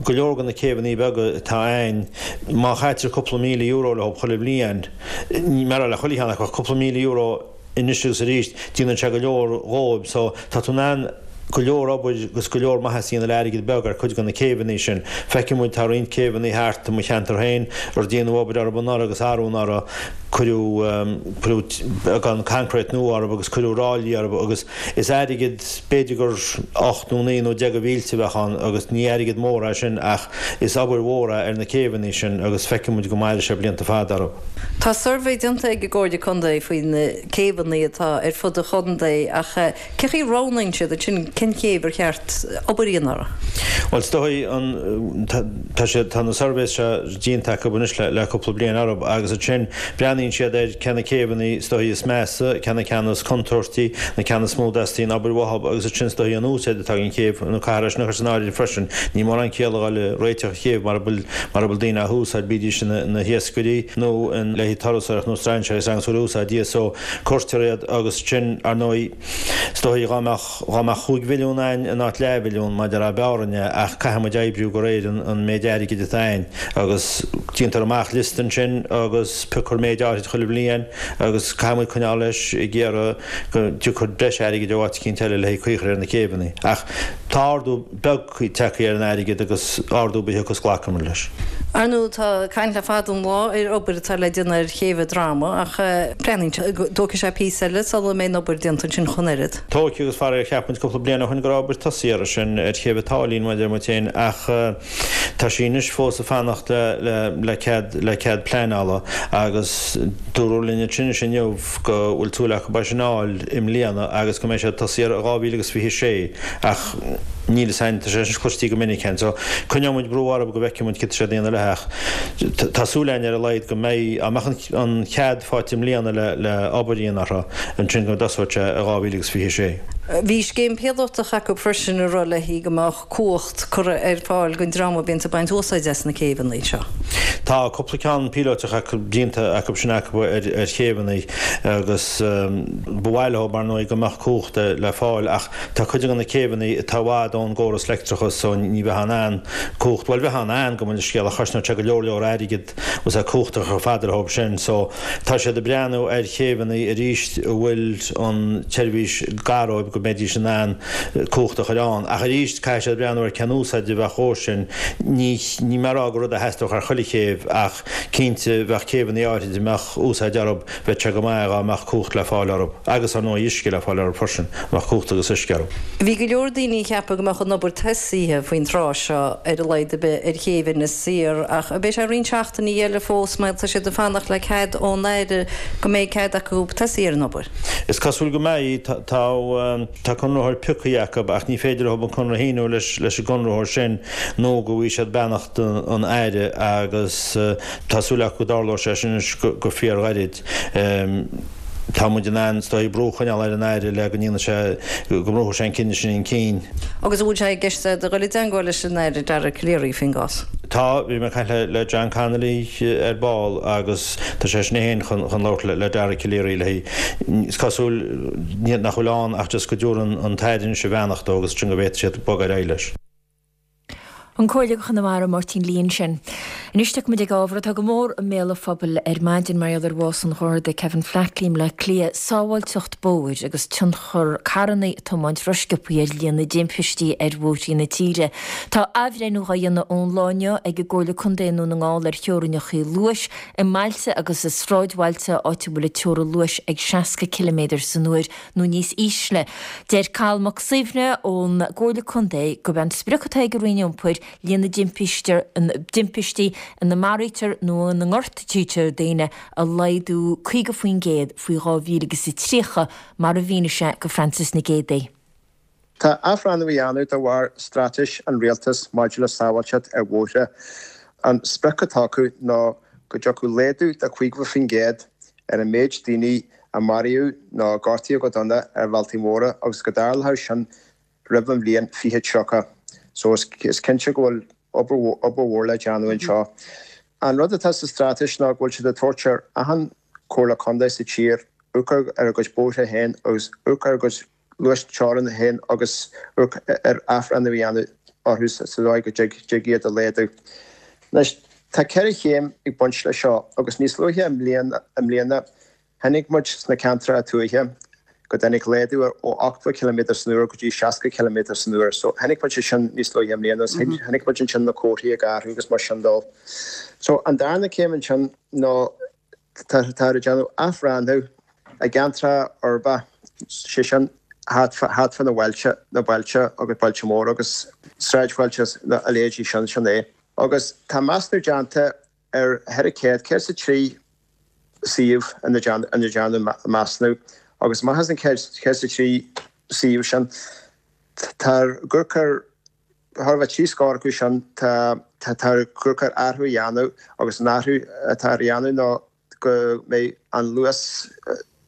go leor de na céibheanna beaga atá a'ainn, má chaitear cúpla €1,000 leo chuile bhliain, níl mé ag rá le chuile cheann acu ach cúpla €1,000 anois agus arís, déanann sé go leor dhóibh. So tá tú in ann go leor obair agus go leor maitheas a dhéanamh le airgead beag ar cuid de na céibheanna sin. Feiceann muid, tá roinnt céibheanna thart i mo cheantar féin ar déanadh obair orthu anuraidh agus arú anuraidh, cuireadh, cuireadh beagán concrete nua orthu agus cuireadh ráillí orthu agus Is airgead, b'fhéidir gur 8 nó 9 nó 10 de mhílte a bheadh ann agus ní airgead mór é sin ach is obair mhór é ar na céibheanna sin agus feicfidh muid go mairfidh sé blianta fada orthu. Tá suirbhé déanta ag an gComhairle Contae faoi na céibheanna atá ar fud an chontae ach cé chaoi a roghnaíonn siad ansin cén chéibh ar cheart obair a dhéanamh uirthi? Bhuel, is dóigh an, tá siad, tá na suirbhés seo déanta acu anois le cúpla bliain orthu agus ansin breathnaíonn siad ar cé na céibheanna is dóigh is measa, cé na ceanna is contúirtí, na ceanna is mó a dteastaíonn obair uathu agus ansin is dóigh an úsáid atá ag an chéibh, nó caithfear é sin a chur san áireamh freisin. Níl mórán ciall a dhul ag réiteach an chéibh mara bhfuil mara bhfuil daoine á húsáid, bídís ina hiascairí nó le haghaidh turasóireacht nó strainséirí is ann úsáid iad so cuirtear iad agus ansin ar ndóigh is dóigh dá mbeadh Dhá mbeadh 5 mhilliún a'ainn in áit leathmhilliún, mar a déarfá b'fhearr a'ainn é, ach caithfidh muid oibriú de réir an méid airgid atá a'ainn agus déantar amach liosta ansin agus piocfar méid áirid chuile bhliain agus caithfidh muid coinneáil leis ag iarraidh go dtiocfaidh breis airgid ó áit eicínt eile le haghaidh caoi a chur ar na céibheanna. Ach tá ardú beag tagtha ar an airgead agus ardú ar bith a thiocfas glacfaidh muid leis. Ar ndóigh tá caint le fada an lá ar obair atá le déanamh ar chéibh an Droma ach breathnaíonn sé go dtógfaidh sé píosa eile sula mbeidh an obair déanta ansin ach an oiread. Tógfaidh agus faraor cheap muid cúpla bliain ó shin go raibh obair tosaithe air sin ar chéibh an tSáilín mar a deir muid féin ach tá sí anois fós ag fanacht le le cead le cead pleanála agus dúradh linn ansin anois inniu go bhfuil súil acu é sin a fháil i mbliana agus go mbeidh sé tosaithe air i 2026 ach níl fhios a'inn, tá sé sin cloistí go minic a'inn so coinneoidh muid brú orthu go bhfeicfidh muid céard tá siad a dhéanamh leis ach tá súil a'inn ar a laghad go mbeidh, dá mbeadh an cead faighte i mbliana le le obair a dhéanamh orthu ansin go dtosóidh sé i 2026. Bhí scéim píolótach acu freisin a raibh léi go mbeadh cumhacht curtha ar fáil don dream a bhíonns ag baint úsáide as na céibheanna seo. Tá cúpla ceann píolótach acu déanta acu sin acu ar ar chéibheanna agus ba mhaith leo mar ndóigh go mbeadh cumhacht le fáil ach Tá cuid de na céibheanna atá i bhfad. fhad ón gcóras leictreachais so ní bheifeá in ann cumhacht, bhuel bheifeá in ann gabh mo leithscéal ach chosnódh sé go leor leor airgid agus é cumhacht a chur chomh fada leo sin so tá siad ag breathnú ar chéibheanna arís a bhfuil an tseirbhís gar dóibh go mbeidís in ann cumhacht a chur ann. Ach arís caithfidh siad breathnú ar cén úsáid a bheadh dhó sin. Ní níl mé ag rá gur rud a theastódh ar chuile chéibh ach cinnte bheadh céibheanna áirid a mbeadh úsáid orthu, bheadh sé go maith dhá mbeadh cumhacht le fáil orthu agus ar ndóigh uisce le fáil orthu freisin, mbeadh cumhacht agus uisce orthu. Bhí go leor daoine ag ceapadh go mbeadh an obair tosaithe faoin tráth seo ar a laghad ar bith ar chéibh Inis Oírr ach beidh sé roinnt seachtainí eile fós mar tá siad ag fanacht le cead ón Aire go mbeidh cead acu tosaí ar an obair. Is cosúil go mbeidh. Tá tá conraitheoir pioctha acu ach ní féidir leo an conradh a shíniú leis leis an gconraitheoir sin nó go bhfaighidh siad beannacht an Aire agus tá súil acu go dtarlóidh sé sin anois go fíorghairid. Tá muid in ann is dóigh brú a choinneáil ar an Aire le go ndéanfaidh sé, go mbrúfaidh sé an cinneadh sin chun cinn. Agus an bhfuil sé i gceist agat a dhul i dteangmháil leis an Aire Dara Calleary faoin gcás? Tá, bhí mé ag caint le John Connolly ar ball agus tá seisean féin chun labhairt le Dara Calleary le Is cosúil nach bhfuil ann ach just go dtabharfaidh an tAire anois a bheannacht dó agus ansin go bhféadfaidh siad bogadh ar aghaidh leis. An Comhairleoir do Chonamara, Máirtín Lee ansin. Anois tiocfaimid ag ábhar atá go mór i mbéal an phobail ar maidin mar gheall ar bhás an Gharda Kevin Flatley i mBleá Cliath, sábháilteacht bóthair agus tionchar carranna ag tiomáint rósciobtha ar líon na dtimpistí ar bhóithrí na tíre. Tá athbhreithniú dhá dhéanamh ón lá inniu ag an gComhairle Contae i nDún na nGall ar theorainneacha luais i mbailte agus i sráidbhailte áit a bhfuil an teorainn luais ag 60 ciliméadar san uair nó níos ísle. Deir Cathal Mac Suibhne ón gComhairle Contae gurb é an sprioc atá ag an Roinn Iompair líon na dtimpistí ina maraítear nó ina ngortaítear daoine a laghdú 50% faoi 2030, mar a mhínigh sé go Frances Nic Géadaigh. Tá athbhreithniú á dhéanamh de bharr straitéis an Rialtais maidir le sábháilteacht ar bhóithre. An sprioc atá acu ná go dtiocfadh laghdú de 50% ar an méid daoine a maraíodh nó a gortaíodh go dona ar bhealtaí móra agus go dtarlódh sin roimh an bhliain 2030. So is cinnte go bhfuil obair mhór le déanamh anseo. An rud atá sa straitéis ná go bhfuil siad ag tabhairt ar achan Chomhairle Contae sa tír amharc ar a gcuid bóithre féin agus amharc ar a gcuid luas teorann féin agus amharc ar athbhreithniú a dhéanamh orthu sa dóigh go dtig iad a laghdú. Anois, tá 4 chéim ag baint leis seo agus níos luaithe i mbliana chonaic muid sna ceantracha tuaithe go dtáinig laghdú ó 80 ciliméadar san uair go dtí 60 ciliméadar san uair. So chonaic muid é sin níos luaithe i mbliana agus chonaic muid ansin na comharthaí ag athrú agus mar sin dó. So an darna céim ansin ná Táthar ag déanamh athbhreithniú i gceantracha uirbeacha, sé sin thart fá na bailte, na bailte agus bailte móra agus sráidbhailte a leithéidí sin, sin é. Agus tá measúnú déanta ar 400, 103 suíomh ina ndearnadh measúnú agus amach as an 103 suíomh sin, táthar ag amharc ar Chóir a bheith trí scór acu sin, táthar ag amharc ar athrú a dhéanamh agus an athrú atá ar dhéanamh ná go mbeidh an luas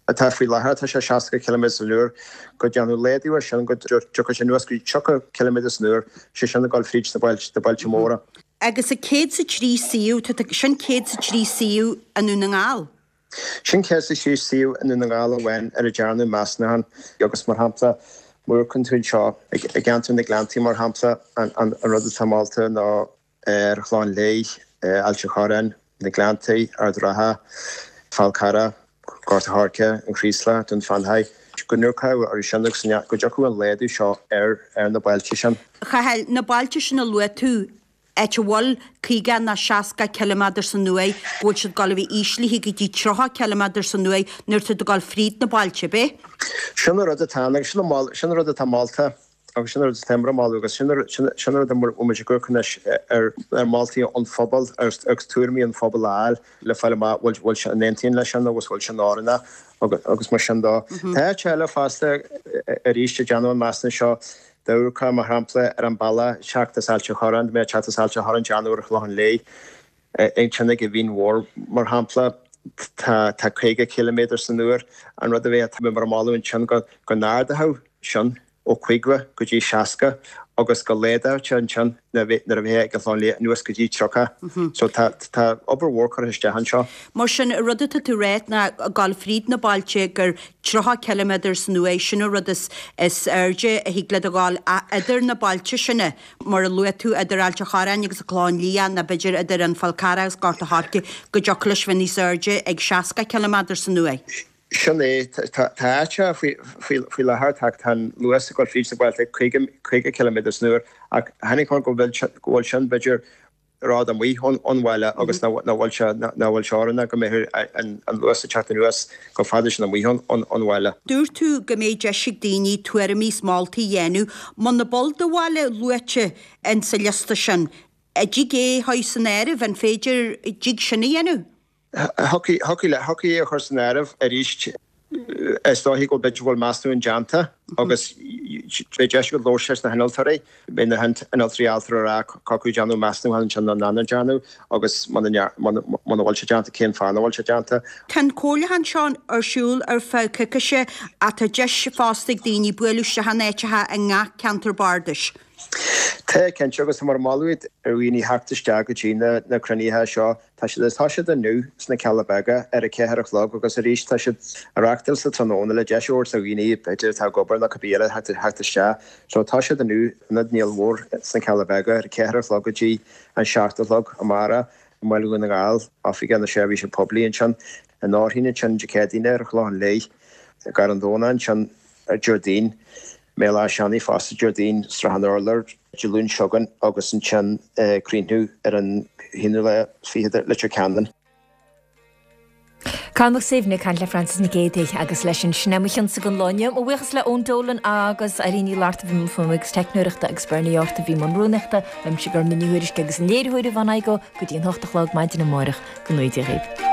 atá faoi láthair, atá sé 60 ciliméadar san uair, go ndéanfadh laghdú air sin go dtiocfadh sé anuas go dtí 30 ciliméadar san uair, sé sin ag dul fríd na bailte móra. Agus an 103 suíomh, sin 103 suíomh i nDún na nGall. Sin 103 suíomh i nDún na nGall amháin ar a dearnadh measúnachán agus, mar shampla, má amharcann tú anseo i gceantar na Gleanntaí, mar shampla, an rud atá molta ná ar an Chlochán Liath, Ailt an Chorráin, na Gleanntaí, Ard an Rátha, Fál Carrach, Gort an Choirce, an Chraoslach, Dún Fionnachaidh, go n-amharcfá orthu sin agus go dtiocfadh an laghdú seo ar na bailte sin. A Chathail, na bailte sin a luaigh tú, áit a bhfuil 50 nó 60 ciliméadar san uair, go bhfuil siad ag dul a bheith íslithe go dtí 30 ciliméadar san uair nuair atá tú ag dul fríd na bailte, ab é? Sin an rud atá ann agus sin an rud atá molta agus sin an rud atá mar mholadh agus sin an rud a bhfuil muid ag amharc anois ar mholtaí an phobail agus tuairimí an phobail a fháil le fáil amach bhfuil sé an aontaíonn leis sin agus bhfuil sin oiriúnach agus mar sin dó. Tá áit eile fosta arís ag déanamh an measúnú seo Dá amharcfá, mar shampla, ar an bealach teacht as Ailt an Chorráin, dá mbeifeá ag teacht as Ailt an Chorráin déanamh ar an Chlochán Liath, ansin ag an Mhín Mhór, mar shampla, tá 50 ciliméadar san uair. An rud a bheadh mar mholadh ansin go n-ardófaí sin. ó 50 go dtí 60 agus go laghdódh ansin nuair a bheifeá ag an Chlochán Liath anuas go dtí 30. So tá tá obair mhór curtha isteach anseo. Mar sin, an rud atá tú ráit ná ag dul fríd na bailte gur 30 ciliméadar san uair, sin an rud is is airde a thig leat a dhul idir na bailte sin, mar a luaigh tú, idir Ailt a' Chorráin agus an Clochán Liath nó b'fhéidir idir an Fál Carrach agus Gort a' Choirce go dtiocfadh leis bheith níos airde ag 60 ciliméadar san uair. Sin é. Tá áiteacha faoi láthair, tá an luas ag dul fríd na bailte ag 50 ciliméadar san uair ach tháinig chun go bhfuil sin b'fhéidir rud amuigh ón bhaile agus nach bhfuil sé nach bhfuil sé oiriúnach go mbeadh an luas ag teacht anuas chomh fada sin amuigh ón bhaile. Dúirt tú go mbeidh deis ag daoine tuairimí is moltaí a dhéanamh. Muna bhfuil do bhaile luaite insa liosta sin, an dtig é a chur san áireamh? An féidir, dtig sin a dhéanamh? Thiocfadh le, thiocfadh é a chur san áireamh arís. Is dóichí go b'fhéidir go bhfuil measúnú déanta agus beidh deis agat labhairt leis na hinnealtóirí. Beidh na hinnealtóirí ábalta a rá cé acu déanadh measúnú ansin nó nach ndearnadh agus muna bhfuil sé déanta cén fáth nach bhfuil sé déanta. Tá an comhairliúchán seo ar siúl ar feadh coicíse ach tá deis fosta ag daoine bualadh isteach in áiteacha i ngach ceantar bardais. Tá, cinnte, agus tá muid ag moladh ar dhaoine theacht isteach go dtí na cruinnithe seo. Tá siad ag toiseacht inniu sna Cealla Beaga ar a 4 a chlog agus arís tá siad á reachtáil sa tráthnóna le deis a thabhairt do dhaoine b'fhéidir atá ag obair nó cibé eile theacht isteach. So tá siad inniu in Ionad Néill Mhóir sna Cealla Beaga ar a 4 a chlog go dtí an 7 a chlog amárach i mBaile Dhún na nGall, Oifig na Seirbhíse Poiblí ansin in Fhearchair ansin Dé Céadaoine ar an Chlochán Liath, i gCarn Domhnach ansin ar Déardaoin. mBéal Átha Seanaidh fosta Déardaoin, Srath an Urláir, Dé Luain seo chugainn agus ansin críochnú ar an haonú lá fichead i Leitir Ceanainn. Cathal Mac Suibhne ag caint le Frances Nic Géadaigh agus leis sin, sin é mo chionsa don lá inniu. Mo bhuíochas le Eoin Dolan agus Irene Ní Fhlatharta a bhí i mbun fuaime agus teicneoireachta agus Bernie York a bhí i mbun rúnaíochta. Uaimse Gormfhlaith Ní Thuairisg agus an léiritheoir Yvonne Igoe go dtí an 8 a chlog maidin amárach. Go ngnóthaí Dia dhaoibh.